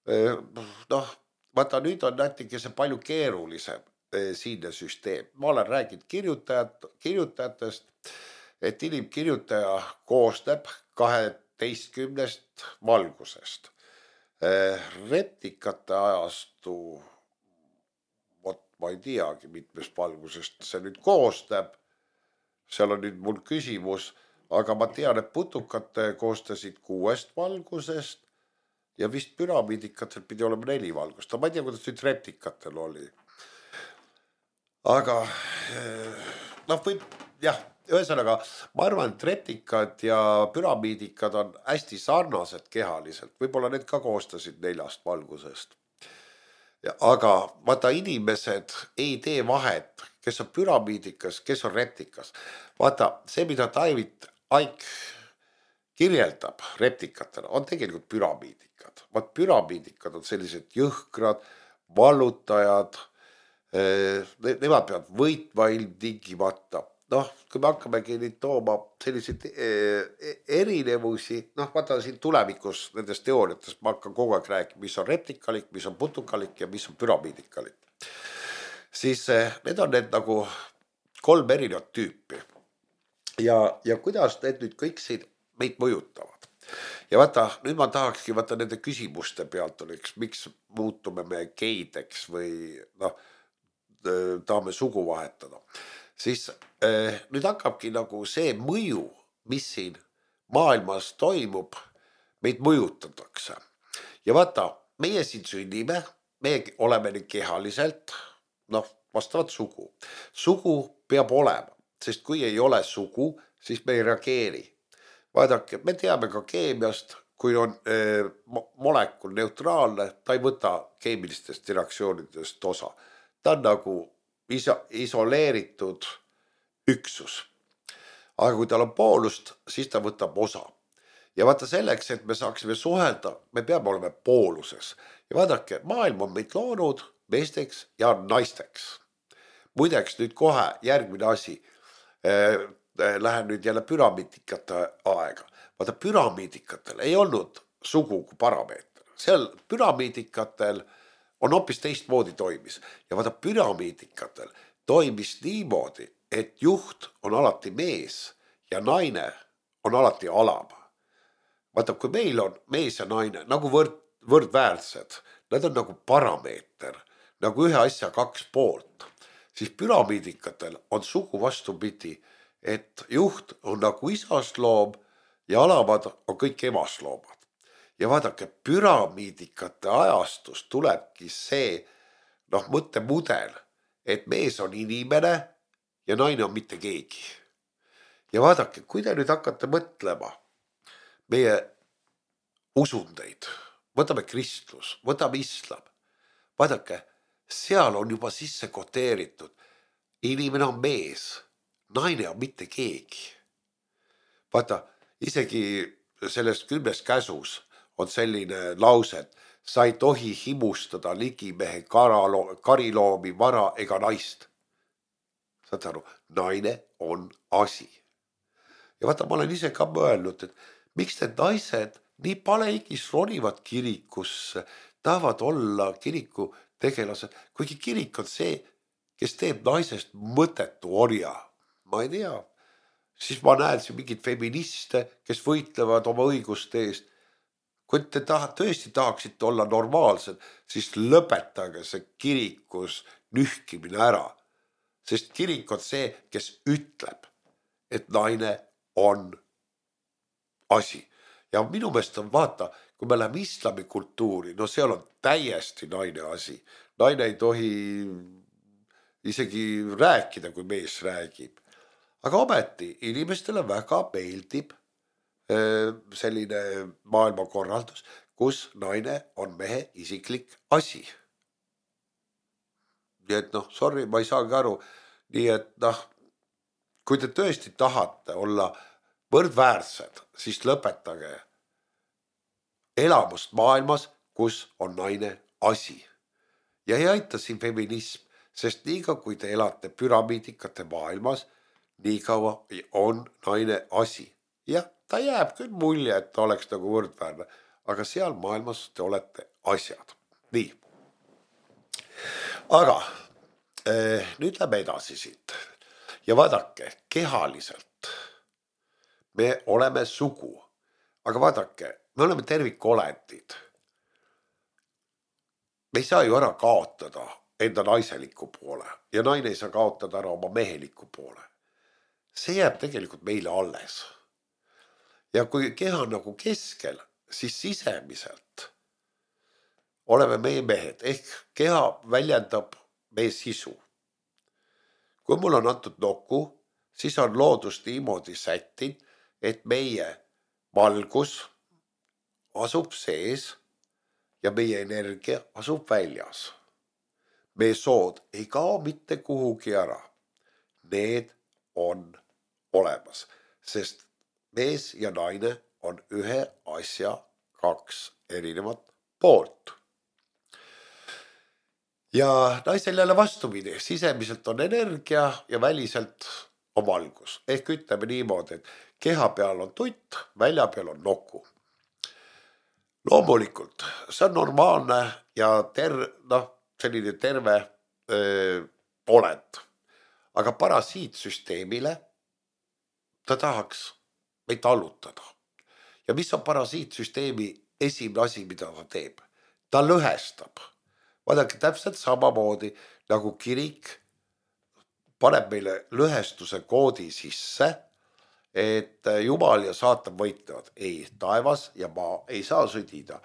noh, vaata nüüd on näiteks see palju keerulisem, siinne süsteem. Ma olen rääkinud kirjutajat, kirjutajatest, et inimkirjutaja koosneb kaheteistkümnest valgusest. Reptikate ajastu, vot ma ei teagi, mitmest valgusest see nüüd koosneb. Seal on nüüd mul küsimus, aga ma tean, et putukate koostasid kuuest valgusest ja vist püramiidikatel pidi olema neli valgust. Ma ei tea, kuidas nüüd reptikatel oli. Aga noh, võib, jah, ühesõnaga, ma arvan, et reptikad ja püramiidikad on hästi sarnased kehaliselt. Võib-olla need ka koostasid neljast valgusest. Ja, aga vaata, inimesed ei tee vahet, kes on püramiidikas, kes on reptikas. Vaata, see, mida David Icke kirjeldab reptikatena, on tegelikult püramiidikad. Vaat püramiidikad on sellised jõhkrad, vallutajad, nemad peavad võitma ilmtingimata. Noh, kui me hakkamegi nüüd tooma selliseid erinevusi, noh, vaata siin tulevikus nendes teooriates ma hakkan kogu aeg rääkima, mis on reptikalik, mis on putukalik ja mis on püramiidikalik. Siis need on need nagu kolm erinevat tüüpi. Ja, ja kuidas need nüüd kõik siin meid mõjutavad. Ja vaata, nüüd ma tahakski vaata nende küsimuste pealt oleks, miks muutume me geideks või noh, tahame sugu vahetada. Siis eh, nüüd hakkabki nagu see mõju, mis siin maailmas toimub, meid mõjutatakse. Ja vaata, meie siin sünnime, me oleme nüüd kehaliselt, noh, vastavat sugu. Sugu peab olema, sest kui ei ole sugu, siis me ei reageeri. Vaadake, me teame ka keemiast, kui on eh, molekul neutraalne, ta ei võta keemilistest reaktsioonidest osa. Ta on nagu iso- isoleeritud üksus. Aga kui tal on poolust, siis ta võtab osa. Ja vaata selleks, et me saaksime suhelda, me peame olema pooluses. Ja vaadake, maailm on meid loonud meesteks ja naisteks. Muideks nüüd kohe järgmine asi. Eh, lähen nüüd jälle püramiidikate aega. Vaata, püramiidikatel ei olnud sugu kui parameeter. Seal püramiidikatel on hoopis teistmoodi toimis. Ja vaata, püramiidikatel toimis niimoodi, et juht on alati mees ja naine on alati alam. Vaata, kui meil on mees ja naine nagu võrd, võrdväärsed, nad on nagu parameeter, nagu ühe asja kaks poolt, siis püramiidikatel on sugu vastupidi, et juht on nagu isast loom ja alamad on kõik emast loomad. Ja vaadake, püramiidikate ajastus tulebki see noh, mõttemudel, et mees on inimene ja naine on mitte keegi. Ja vaadake, kui te nüüd hakkate mõtlema meie usundeid, võtame kristlus, võtame islam, vaadake, seal on juba sisse koteeritud, inimene on mees, naine on mitte keegi. Vaata, isegi selles kümnes käsus on selline lause, et sa ei tohi himustada ligimehe karalo, kariloomi, vara ega naist. Saad aru, naine on asi. Ja vaata, ma olen ise ka mõelnud, et miks need naised nii paleigis ronivad kirikusse, tahavad olla kiriku tegelased, kuigi kirik on see, kes teeb naisest mõttetu orja. Ma ei tea. Siis ma näen siin mingid feministe, kes võitlevad oma õiguste eest. Kui te taha, tõesti tahaksite olla normaalsed, siis lõpetage see kirikus nühkimine ära. Sest kirik on see, kes ütleb, et naine on asi. Ja minu meelest on vaata, kui me läheme islami kultuuri, no seal on täiesti naine asi. Naine ei tohi isegi rääkida, kui mees räägib. Aga ometi inimestele väga meeldib selline maailmakorraldus, kus naine on mehe isiklik asi. Nii et noh, sorry, ma ei saagi aru. Nii et noh, kui te tõesti tahate olla võrdväärsed, siis lõpetage elamust maailmas, kus on naine asi. Ja ei aita siin feminism, sest niikaua kui te elate püramiidikate maailmas, niikaua on naine asi. Jah, ta jääb küll mulje, et ta oleks nagu võrdväärne, aga seal maailmas te olete asjad. Nii. Aga nüüd lähme edasi siit ja vaadake, kehaliselt me oleme sugu, aga vaadake, me oleme tervikolendid. Me ei saa ju ära kaotada enda naiseliku poole ja naine ei saa kaotada ära oma meheliku poole. See jääb tegelikult meile alles. Ja kui keha on nagu keskel, siis sisemiselt oleme meie mehed, ehk keha väljendab meie sisu. Kui mul on antud nokku, siis on loodus niimoodi sättinud, et meie valgus asub sees ja meie energia asub väljas. Meie sood ei kao mitte kuhugi ära. Need on olemas, sest mees ja naine on ühe asja kaks erinevat poolt. Ja naisel jälle vastupidi, sisemiselt on energia ja väliselt on valgus. Ehk ütleme niimoodi, et keha peal on tutt, välja peal on nokku. Loomulikult, see on normaalne ja ter, no, selline terve öö, olend. Aga parasiitsüsteemile ta tahaks meid allutada. Ja mis on parasiitsüsteemi esimene asi, mida ta teeb? Ta lõhestab. Vaadake täpselt samamoodi nagu kirik paneb meile lõhestuse koodi sisse, et Jumal ja saatan võitlevad. Ei, taevas ja maa ei saa sõdida.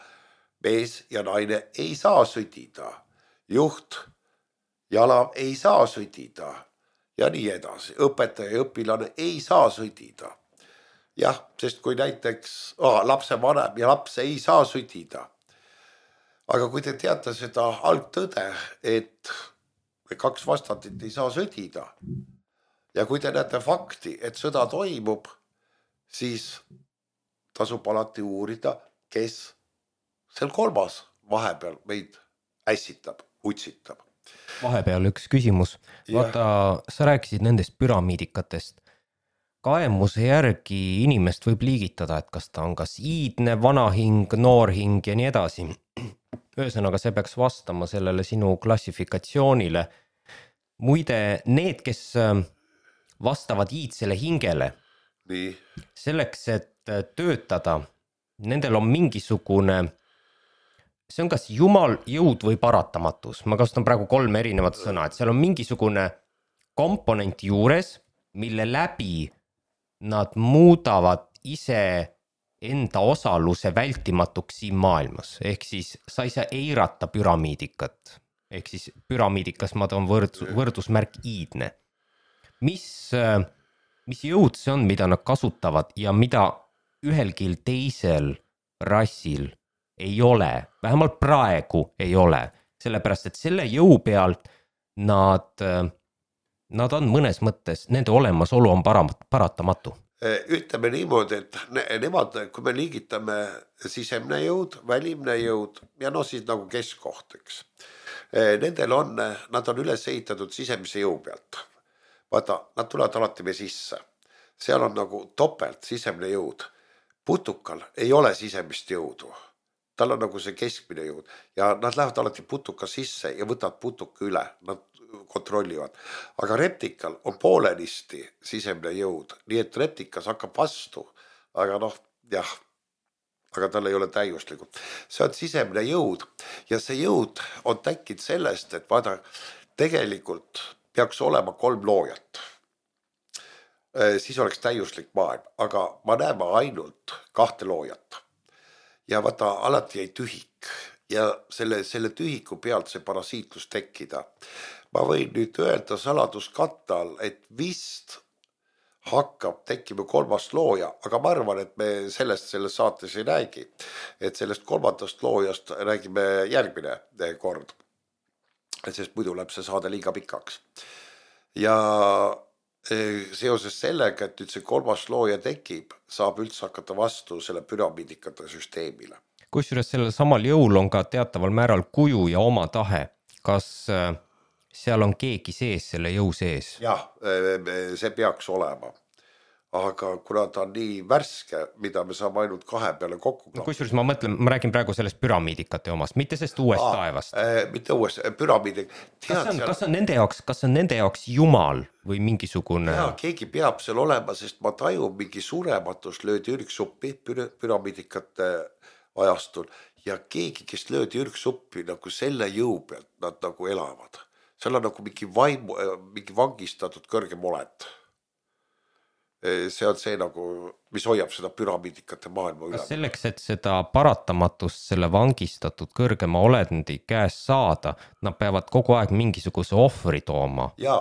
Mees ja naine ei saa sõdida. Juht, jala ei saa sõdida. Ja nii edasi. Õpetaja ja õpilane ei saa sõdida. Jah, sest kui näiteks oh, lapse vanem ja laps ei saa sõdida. Aga kui te teate seda algtõde, et kaks vastandit ei saa sõdida ja kui te näete fakti, et sõda toimub, siis tasub alati uurida, kes seal kolmas vahepeal meid ässitab, utsitab. Vahepeal üks küsimus. Vaata, sa rääkisid nendest püramiidikatest. Kaemuse järgi inimest võib liigitada, et kas ta on kas iidne, vanahing, noorhing ja nii edasi. Ühesõnaga, see peaks vastama sellele sinu klassifikatsioonile. Muide, need, kes vastavad iidsele hingele, nii. Selleks, et töötada, nendel on mingisugune, see on kas jumal, jõud või paratamatus. Ma kasutan praegu kolm erinevat sõna, et seal on mingisugune komponent juures, mille läbi nad muudavad ise enda osaluse vältimatuks siin maailmas. Ehk siis sa ei saa eirata püramiidikat. Ehk siis püramiidikas ma toon võrdus, võrdusmärk iidne. Mis, mis jõud see on, mida nad kasutavad ja mida ühelgi teisel rassil ei ole, vähemalt praegu ei ole. Sellepärast, et selle jõu pealt nad, nad on mõnes mõttes, nende olemasolu on paratamatu. Ütleme niimoodi, et ne, nemad, kui me liigitame sisemne jõud, välimne jõud ja no siis nagu keskkohteks. Nendel on, nad on üles ehitatud sisemise jõu pealt. Vaata, nad tulevad alati me sisse. Seal on nagu topelt sisemne jõud. Putukal ei ole sisemist jõudu. Tal on nagu see keskmine jõud ja nad lähevad alati putuka sisse ja võtavad putuka üle. Nad kontrollivad. Aga reptikal on poolenisti sisemne jõud, nii et reptikas hakkab vastu, aga noh, jah, aga tal ei ole täiuslikult. See on sisemne jõud ja see jõud on tekkinud sellest, et vaada, tegelikult peaks olema kolm loojat. Siis oleks täiuslik maailm, aga ma näeme ainult kahte loojat. Ja vaata, alati jäi tühik ja selle, selle tühiku pealt see parasiitlus tekkida. Ma võin nüüd öelda saladuskattal, et vist hakkab tekkima kolmas looja, aga ma arvan, et me sellest selles saates ei räägi. Et sellest kolmandast loojast räägime järgmine kord, sest muidu läheb see saade liiga pikaks. Ja seoses sellega, et nüüd see kolmas looja tekib, saab üldse hakata vastu selle püramiidikate süsteemile. Kusjuures sellel samal jõul on ka teataval määral kuju ja oma tahe. Kas seal on keegi sees selle jõu sees? Jah, see peaks olema. aga kuna ta on nii värske, mida me saame ainult kahe peale kokku no, kusjuures ma mõtlen, ma räägin praegu sellest püramiidikate omast, mitte sellest uuest Aa, taevast äh,. mitte uuest, püramiidi. Kas on, seal... kas on nende jaoks, kas on nende jaoks jumal või mingisugune? Jaa, keegi peab seal olema, sest ma tajun mingi surematus löödi ürgsuppi pür püramiidikate ajastul ja keegi, kes löödi ürgsuppi nagu selle jõu pealt, nad nagu elavad. Seal on nagu mingi vaimu, mingi vangistatud kõrgem olend. See on see nagu, mis hoiab seda püramiidikate maailma üle. Selleks, et seda paratamatust selle vangistatud kõrgema olendi käes saada, nad peavad kogu aeg mingisuguse ohvri tooma. Jaa,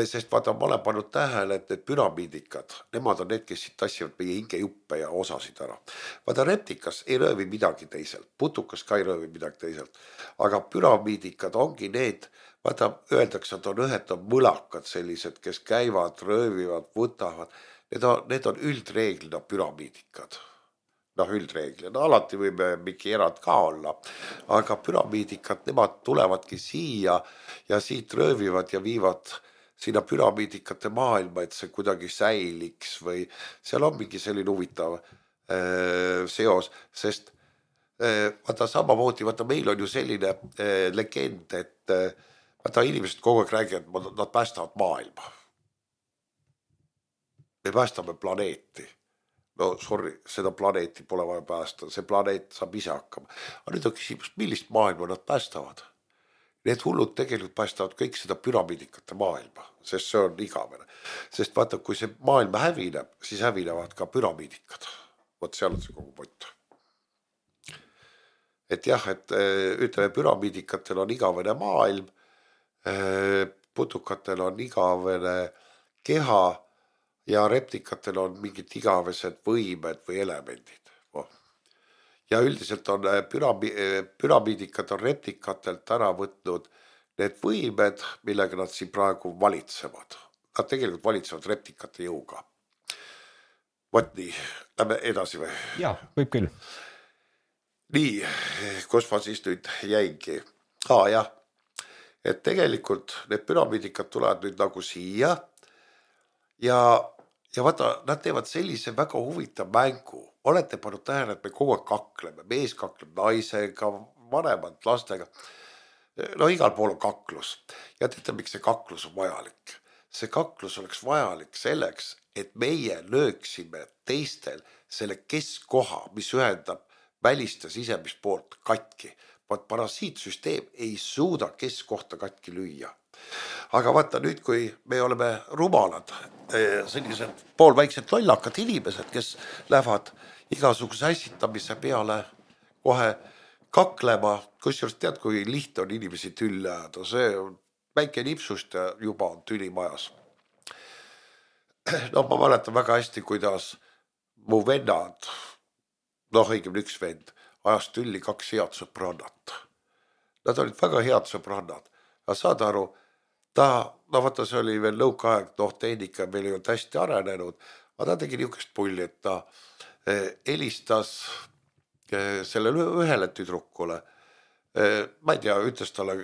sest vaata, ma olen pannud tähele, et need püramiidikad, nemad on need, kes siit tassivad meie hingejuppe ja osasid ära. Vaata, reptikas ei röövi midagi teiselt, putukas ka ei röövi midagi teiselt, aga püramiidikad ongi need, vaata, öeldakse, et on ühed on mõlakad sellised, kes käivad, röövivad, võtavad. Need on, need on üldreeglina püramiidikad. Noh, üldreeglina. Alati võime mingi erand ka olla. Aga püramiidikad, nemad tulevadki siia ja siit röövivad ja viivad sinna püramiidikate maailma, et see kuidagi säiliks või seal on mingi selline huvitav äh, seos, sest äh, vaata samamoodi, vaata meil on ju selline äh, legend, et äh, vaata inimesed kogu aeg räägivad, et nad päästavad maailma. Me päästame planeeti. No sorry, seda planeeti pole vaja päästa. See planeet saab ise hakkama. Aga nüüd on küsimus, millist maailma nad päästavad? Need hullud tegelikult päästavad kõik seda püramiidikate maailma, sest see on igavene. Sest vaata, kui see maailm hävineb, siis hävinevad ka püramiidikad. Vot seal on see kogu point. Et jah, et ütleme, püramiidikatel on igavene maailm, putukatel on igavene keha, ja reptikatel on mingid igavesed võimed või elemendid. Ja üldiselt on pürami, püramiidikad on reptikatelt ära võtnud need võimed, millega nad siin praegu valitsevad. Nad tegelikult valitsevad reptikate jõuga. Vot nii, lähme edasi või? Jaa, võib küll. Nii, kus ma siis nüüd jäingi? Aa, jah, et tegelikult need püramiidikad tulevad nüüd nagu siia ja Ja vaata, nad teevad sellise väga huvitav mängu. Olete pannud tähele, et me kogu aeg kakleme. Mees kakleb naisega, vanemad lastega. No igal pool on kaklus. Ja teate, miks see kaklus on vajalik? See kaklus oleks vajalik selleks, et meie lööksime teistel selle keskkoha, mis ühendab välist ja sisemist poolt katki. Vaat parasiitsüsteem ei suuda keskkohta katki lüüa. Aga vaata nüüd, kui me oleme rumalad, sellised poolväiksed lollakad inimesed, kes lähevad igasuguse ässitamise peale kohe kaklema, kusjuures tead, kui liht on inimesi tülli ajada, see on väike nipsust ja juba on tüli majas. No ma mäletan väga hästi, kuidas mu vennad, noh õigemini üks vend, ajas tülli kaks head sõbrannat. Nad olid väga head sõbrannad, aga saad aru, ta, no vaata, see oli veel nõukaaeg, noh, tehnika meil ei olnud hästi arenenud, aga ta tegi niisugust pulli, et ta helistas sellele ühele tüdrukule. Ma ei tea, ütles talle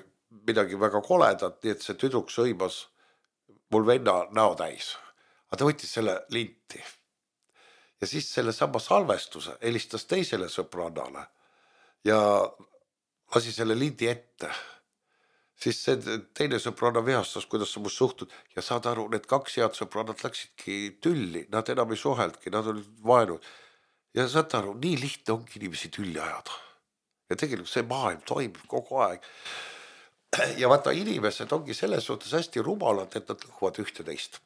midagi väga koledat, nii et see tüdruk sõimas mul venna näo täis. Aga ta võttis selle linti. Ja siis selle sama salvestuse helistas teisele sõbrannale ja lasi selle lindi ette. Siis see teine sõbranna vihastas, kuidas sa must suhtud ja saad aru, need kaks head sõbrannad läksidki tülli, nad enam ei suheldki, nad olid vaenud. Ja saad aru, nii lihtne ongi inimesi tülli ajada. Ja tegelikult see maailm toimib kogu aeg. Ja vaata, inimesed ongi selles suhtes hästi rumalad, et nad lõhuvad ühte teist.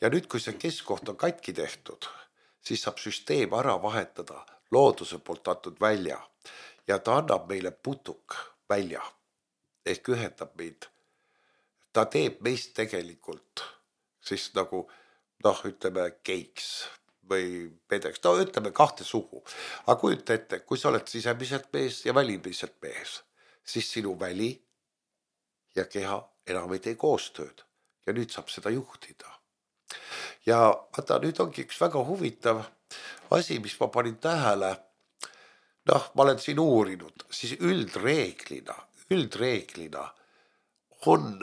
Ja nüüd, kui see keskkoht on katki tehtud, siis saab süsteem ära vahetada looduse poolt antud välja ja ta annab meile putuk välja. Ehk ühendab meid. Ta teeb meist tegelikult siis nagu, noh, ütleme keiks või pedeks. No ütleme kahte sugu. Aga kujuta ette, kui sa oled sisemiselt mees ja välimiselt mees, siis sinu väli ja keha enam ei tee koostööd. Ja nüüd saab seda juhtida. Ja vaata, nüüd ongi üks väga huvitav asi, mis ma panin tähele. Noh, ma olen siin uurinud, siis üldreeglina üldreeglina on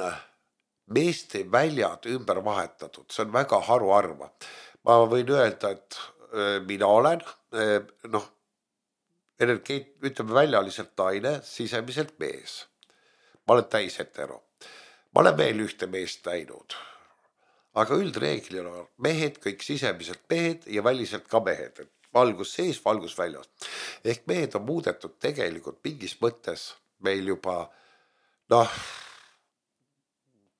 meeste väljad ümber vahetatud. See on väga haruarva. ma võin öelda, et mina olen noh, energeet-, ütleme väljaliselt naine, sisemiselt mees. Ma olen täis hetero. Ma olen veel ühte meest näinud, aga üldreeglina mehed, kõik sisemiselt mehed ja väliselt ka mehed, et valgus sees, valgus väljas. Ehk mehed on muudetud tegelikult mingis mõttes meil juba noh,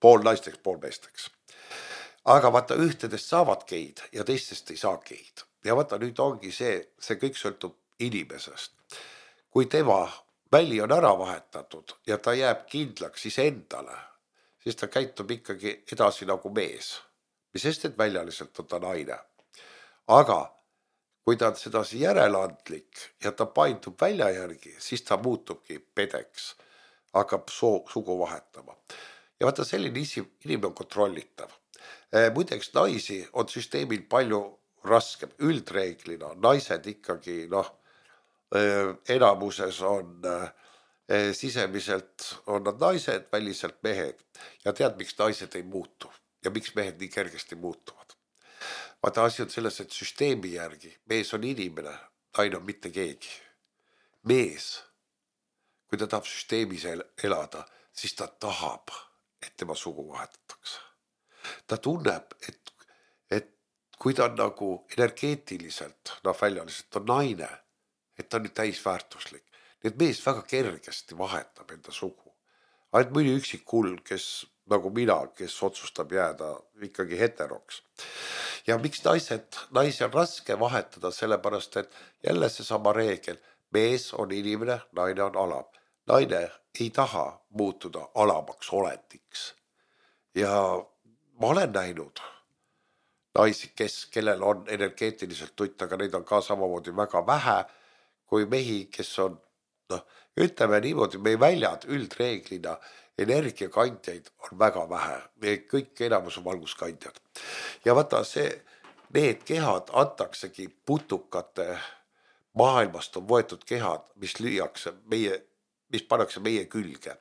pool naisteks, pool meesteks. Aga vaata, ühtedest saavad geid ja teistest ei saa geid. Ja vaata, nüüd ongi see, see kõik sõltub inimesest. Kui tema väli on ära vahetatud ja ta jääb kindlaks siis endale, siis ta käitub ikkagi edasi nagu mees. Mis sest, et väljaliselt on ta naine. Aga kui ta on sedasi järeleandlik ja ta paindub välja järgi, siis ta muutubki pedeks, hakkab soo, sugu vahetama. Ja vaata, selline inimene on kontrollitav. Muideks naisi on süsteemil palju raskem, üldreeglina. Naised ikkagi noh, enamuses on sisemiselt on nad naised, väliselt mehed. Ja tead, miks naised ei muutu ja miks mehed nii kergesti muutuvad. Vaata, asi on selles, et süsteemi järgi mees on inimene, naine on mitte keegi. Mees, kui ta tahab süsteemis elada, siis ta tahab, et tema sugu vahetatakse. Ta tunneb, et, et kui ta on nagu energeetiliselt, noh väljaliselt on naine, et ta on nüüd täisväärtuslik. Nii et mees väga kergesti vahetab enda sugu. Ainult mõni üksik hull, kes nagu mina, kes otsustab jääda ikkagi heteroks. Ja miks naised, naisi on raske vahetada, sellepärast, et jälle see sama reegel, mees on inimene, naine on alam. Naine ei taha muutuda alamaks oletiks. Ja ma olen näinud naisi, kes, kellel on energeetiliselt tutt, aga neid on ka samamoodi väga vähe, kui mehi, kes on, noh, ütleme niimoodi, meie väljad üldreeglina, energiakandjaid on väga vähe. Me kõik enamus on valguskandjad. Ja vaata, see, need kehad antaksegi putukate maailmast on võetud kehad, mis lüüakse meie, mis pannakse meie külge.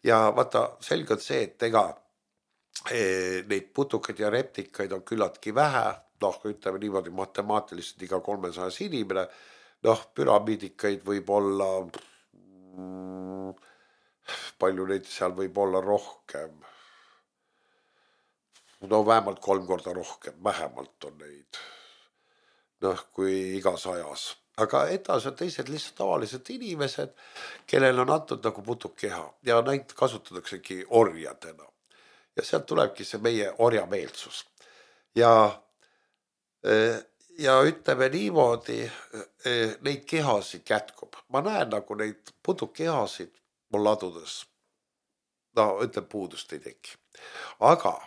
Ja vaata, selge on see, et ega neid putukaid ja reptikaid on küllaltki vähe, noh, ütleme niimoodi matemaatiliselt iga kolmesajas inimene, noh, püramiidikaid võib olla, palju neid seal võib olla rohkem, no vähemalt kolm korda rohkem, vähemalt on neid, noh, kui igas ajas. Aga edasi on teised lihtsalt tavalised inimesed, kellel on antud nagu putukkeha ja neid kasutataksegi orjadena. Ja sealt tulebki see meie orjameelsus. Ja, ja ütleme niimoodi, neid kehasid jätkub. Ma näen nagu neid putukkehasid mul ladudes, no ütleme puudust ei teki. Aga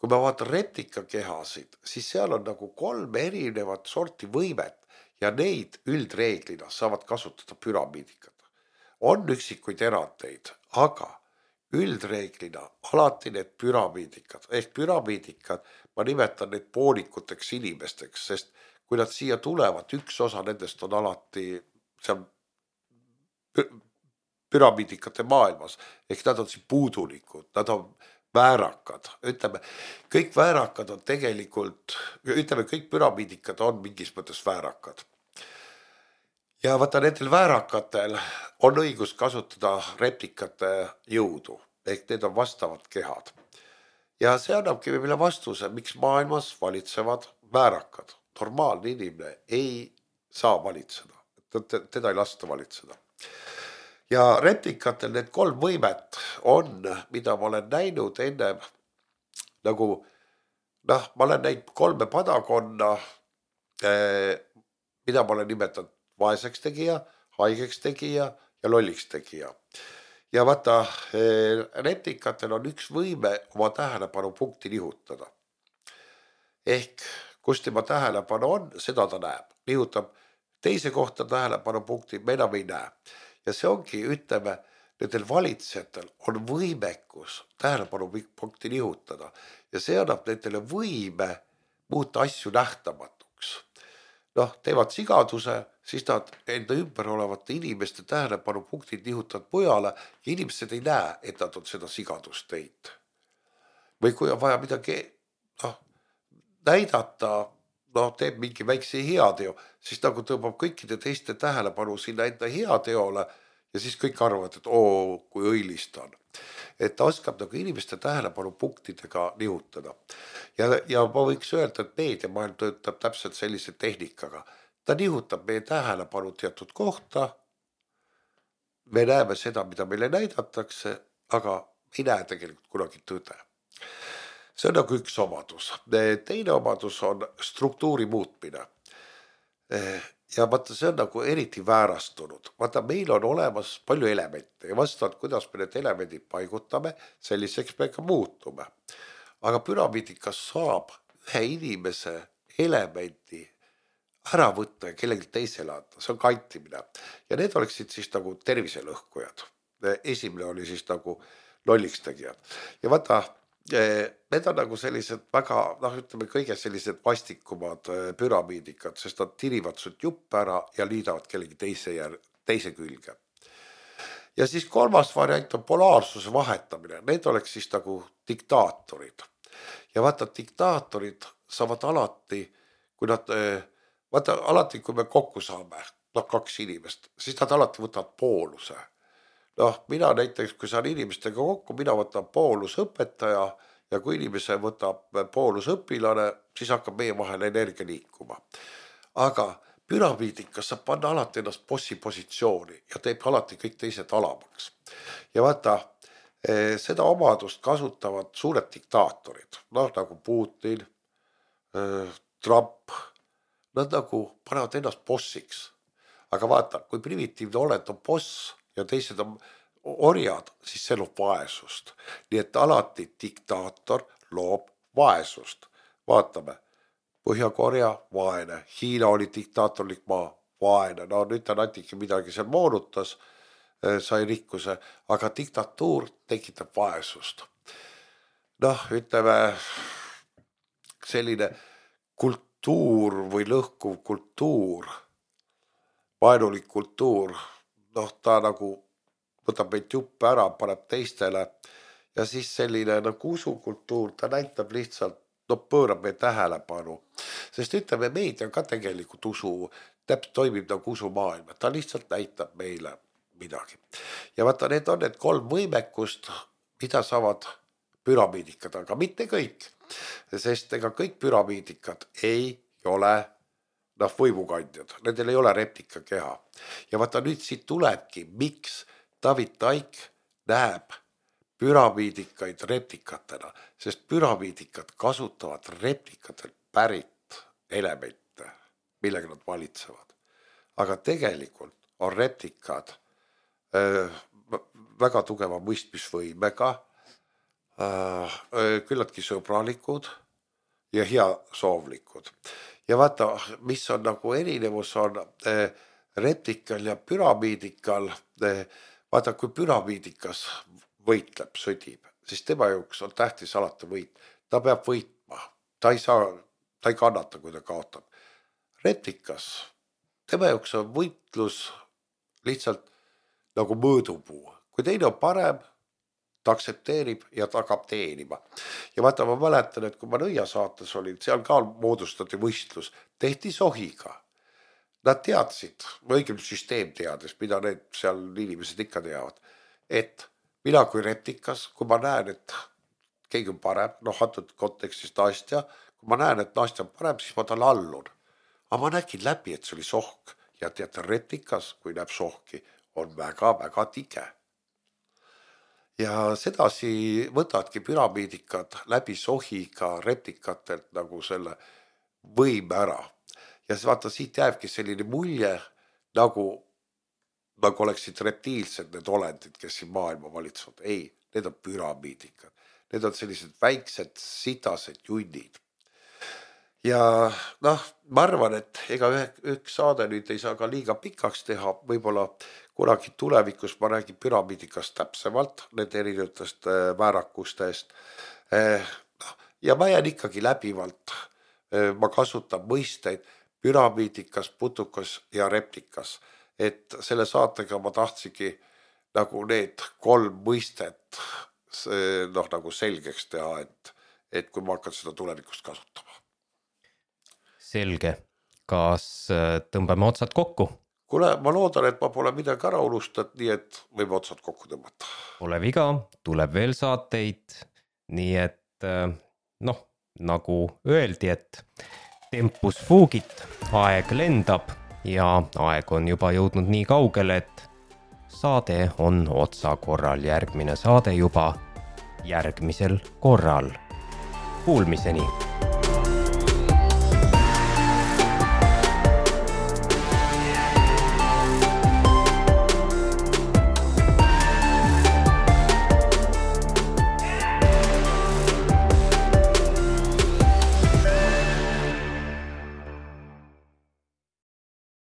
kui ma vaatan reptikakehasid, siis seal on nagu kolm erinevat sorti võimet ja neid üldreeglina saavad kasutada püramiidikad. On üksikuid erandeid, aga üldreeglina alati need püramiidikad, ehk püramiidikad, ma nimetan neid poolikuteks inimesteks, sest kui nad siia tulevad, üks osa nendest on alati seal püramiidikate maailmas, ehk nad on siin puudulikud, nad on väärakad, ütleme, kõik väärakad on tegelikult, ütleme, kõik püramiidikad on mingis mõttes väärakad. Ja vaata, nendel väärakatel on õigus kasutada replikate jõudu, ehk need on vastavad kehad. Ja see annabki meile vastuse, miks maailmas valitsevad väärakad. Normaalne inimene ei saa valitseda, teda ei lasta valitseda. Ja replikatel need kolm võimet on, mida ma olen näinud enne, nagu, noh, ma olen näinud kolme padakonna, mida ma olen nimetanud vaeseks tegija, haigeks tegija ja lolliks tegija. Ja vaata, replikatel on üks võime oma tähelepanu punkti nihutada. Ehk kus tema tähelepanu on, seda ta näeb. Nihutab teise kohta tähelepanu punkti, me enam ei näe. Ja see ongi, ütleme, nendel valitsejatel on võimekus tähelepanu punkti nihutada. Ja see annab nendele võime muuta asju nähtamatuks. Noh, teevad sigaduse, siis nad enda ümber olevate inimeste tähelepanu punktid nihutavad mujale ja inimesed ei näe, et nad on seda sigadust teinud. Või kui on vaja midagi, noh, näidata, noh, teeb mingi väikse heateo, siis nagu tõmbab kõikide teiste tähelepanu sinna enda heateole ja siis kõik arvavad, et oo, kui õilis ta on. Et ta oskab nagu inimeste tähelepanu punktidega nihutada. Ja, ja ma võiks öelda, et meediamaailm töötab täpselt sellise tehnikaga. Ta nihutab meie tähelepanu teatud kohta, me näeme seda, mida meile näidatakse, aga ei näe tegelikult kunagi tõde. See on nagu üks omadus. Teine omadus on struktuuri muutmine. Ja vaata, see on nagu eriti väärastunud. Vaata, meil on olemas palju elemente ja vastavalt, kuidas me need elemendid paigutame, selliseks me ka muutume. Aga püramiidikas saab ühe inimese elementi ära võtta ja kellegi teisele anda. See on kantimine. Ja need oleksid siis nagu terviselõhkujad. Esimene oli siis nagu lollikstegijad. Ja vaata, need on nagu sellised väga, noh, ütleme kõige sellised vastikumad püramiidikad, sest nad tirivad sut jupp ära ja liidavad kellegi teise, ja, teise külge. Ja siis kolmas variant on polaarsuse vahetamine. Need oleks siis nagu diktaatorid. Ja vaata, diktaatorid saavad alati, kui nad, vaata, alati kui me kokku saame, noh, kaks inimest, siis nad alati võtavad pooluse. Noh, mina näiteks, kui saan inimestega kokku, mina võtan poolus õpetaja ja kui inimese võtab poolus õpilane, siis hakkab meie vahel energia liikuma. Aga püramiidikas saab panna alati ennast bossi positsiooni ja teeb alati kõik teised alamaks. Ja vaata, seda omadust kasutavad suured diktaatorid, noh, nagu Putin, Trump, nad nagu panevad ennast bossiks. Aga vaata, kui primitiivne oled on boss, ja teised on orjad, siis see loob vaesust. Nii et alati diktaator loob vaesust. Vaatame, Põhja-Korea, vaene, Hiina oli diktaatorlik maa, vaene, no nüüd ta natuke midagi seal moonutas, sai rikkuse, aga diktatuur tekitab vaesust. Noh, ütleme, selline kultuur või lõhkuv kultuur, vaenulik kultuur, noh, ta nagu võtab meid juppe ära, paneb teistele ja siis selline nagu usukultuur, ta näitab lihtsalt, no pöörab meie tähelepanu. Sest ütleme, meedia ka tegelikult usu, täpselt toimib nagu usumaailm, ta lihtsalt näitab meile midagi. Ja vaata, need on need kolm võimekust, mida saavad püramiidikad, aga mitte kõik. Sest ega kõik püramiidikad ei ole noh, võimukandjad, nendel ei ole replika keha. Ja vaata nüüd siit tulebki, miks David Taik näeb püramiidikaid replikatena, sest püramiidikad kasutavad replikatelt pärit elemente, millega nad valitsevad. Aga tegelikult on replikad äh, väga tugeva mõistmisvõimega, äh, küllaltki sõbralikud ja hea soovlikud. Ja vaata, mis on nagu erinevus on eh, replikal ja püramiidikal, eh, vaata, kui püramiidikas võitleb, sõdib, siis tema jaoks on tähtis alati võit. Ta peab võitma, ta ei saa, ta ei kannata, kui ta kaotab. Replikas, tema jaoks on võitlus lihtsalt nagu mõõdupuu. Kui teine on parem, ta aksepteerib ja ta hakkab teenima. Ja vaata, ma mäletan, et kui ma Nõia saates olin, seal ka moodustati võistlus, tehti sohiga. Nad teadsid, õigem süsteem teades, mida need seal inimesed ikka teavad, et mina kui replikas, kui ma näen, et keegi on parem, noh, antud kontekstis Nastja, kui ma näen, et Nastja on parem, siis ma tal allun. Aga ma nägin läbi, et see oli sohk ja teate, replikas, kui näeb sohki, on väga, väga tige. Ja sedasi võtadki püramiidikad läbi sohiga replikatelt nagu selle võime ära. Ja vaata, siit jääbki selline mulje, nagu, nagu oleksid reptiilsed need olendid, kes siin maailma valitsevad. Ei, need on püramiidikad. Need on sellised väiksed sitased junnid. Ja noh, ma arvan, et ega üks saade nüüd ei saa ka liiga pikaks teha, võib-olla kunagi tulevikus ma räägin püramiidikast täpsemalt, need erinevatest väärakustest. Ja ma jään ikkagi läbivalt, ma kasutan mõisteid püramiidikas, putukas ja replikas. Et selle saatega ma tahtsigi nagu need kolm mõistet noh, nagu selgeks teha, et, et kui ma hakkan seda tulevikust kasutama. selge, kas tõmbame otsad kokku? Kuule, ma loodan, et ma pole midagi ära unustanud, nii et võime otsad kokku tõmmata. Pole viga, tuleb veel saateid, nii et noh, nagu öeldi, et tempus fugit, aeg lendab ja aeg on juba jõudnud nii kaugele, et saade on otsa korral, järgmine saade juba järgmisel korral. Kuulmiseni!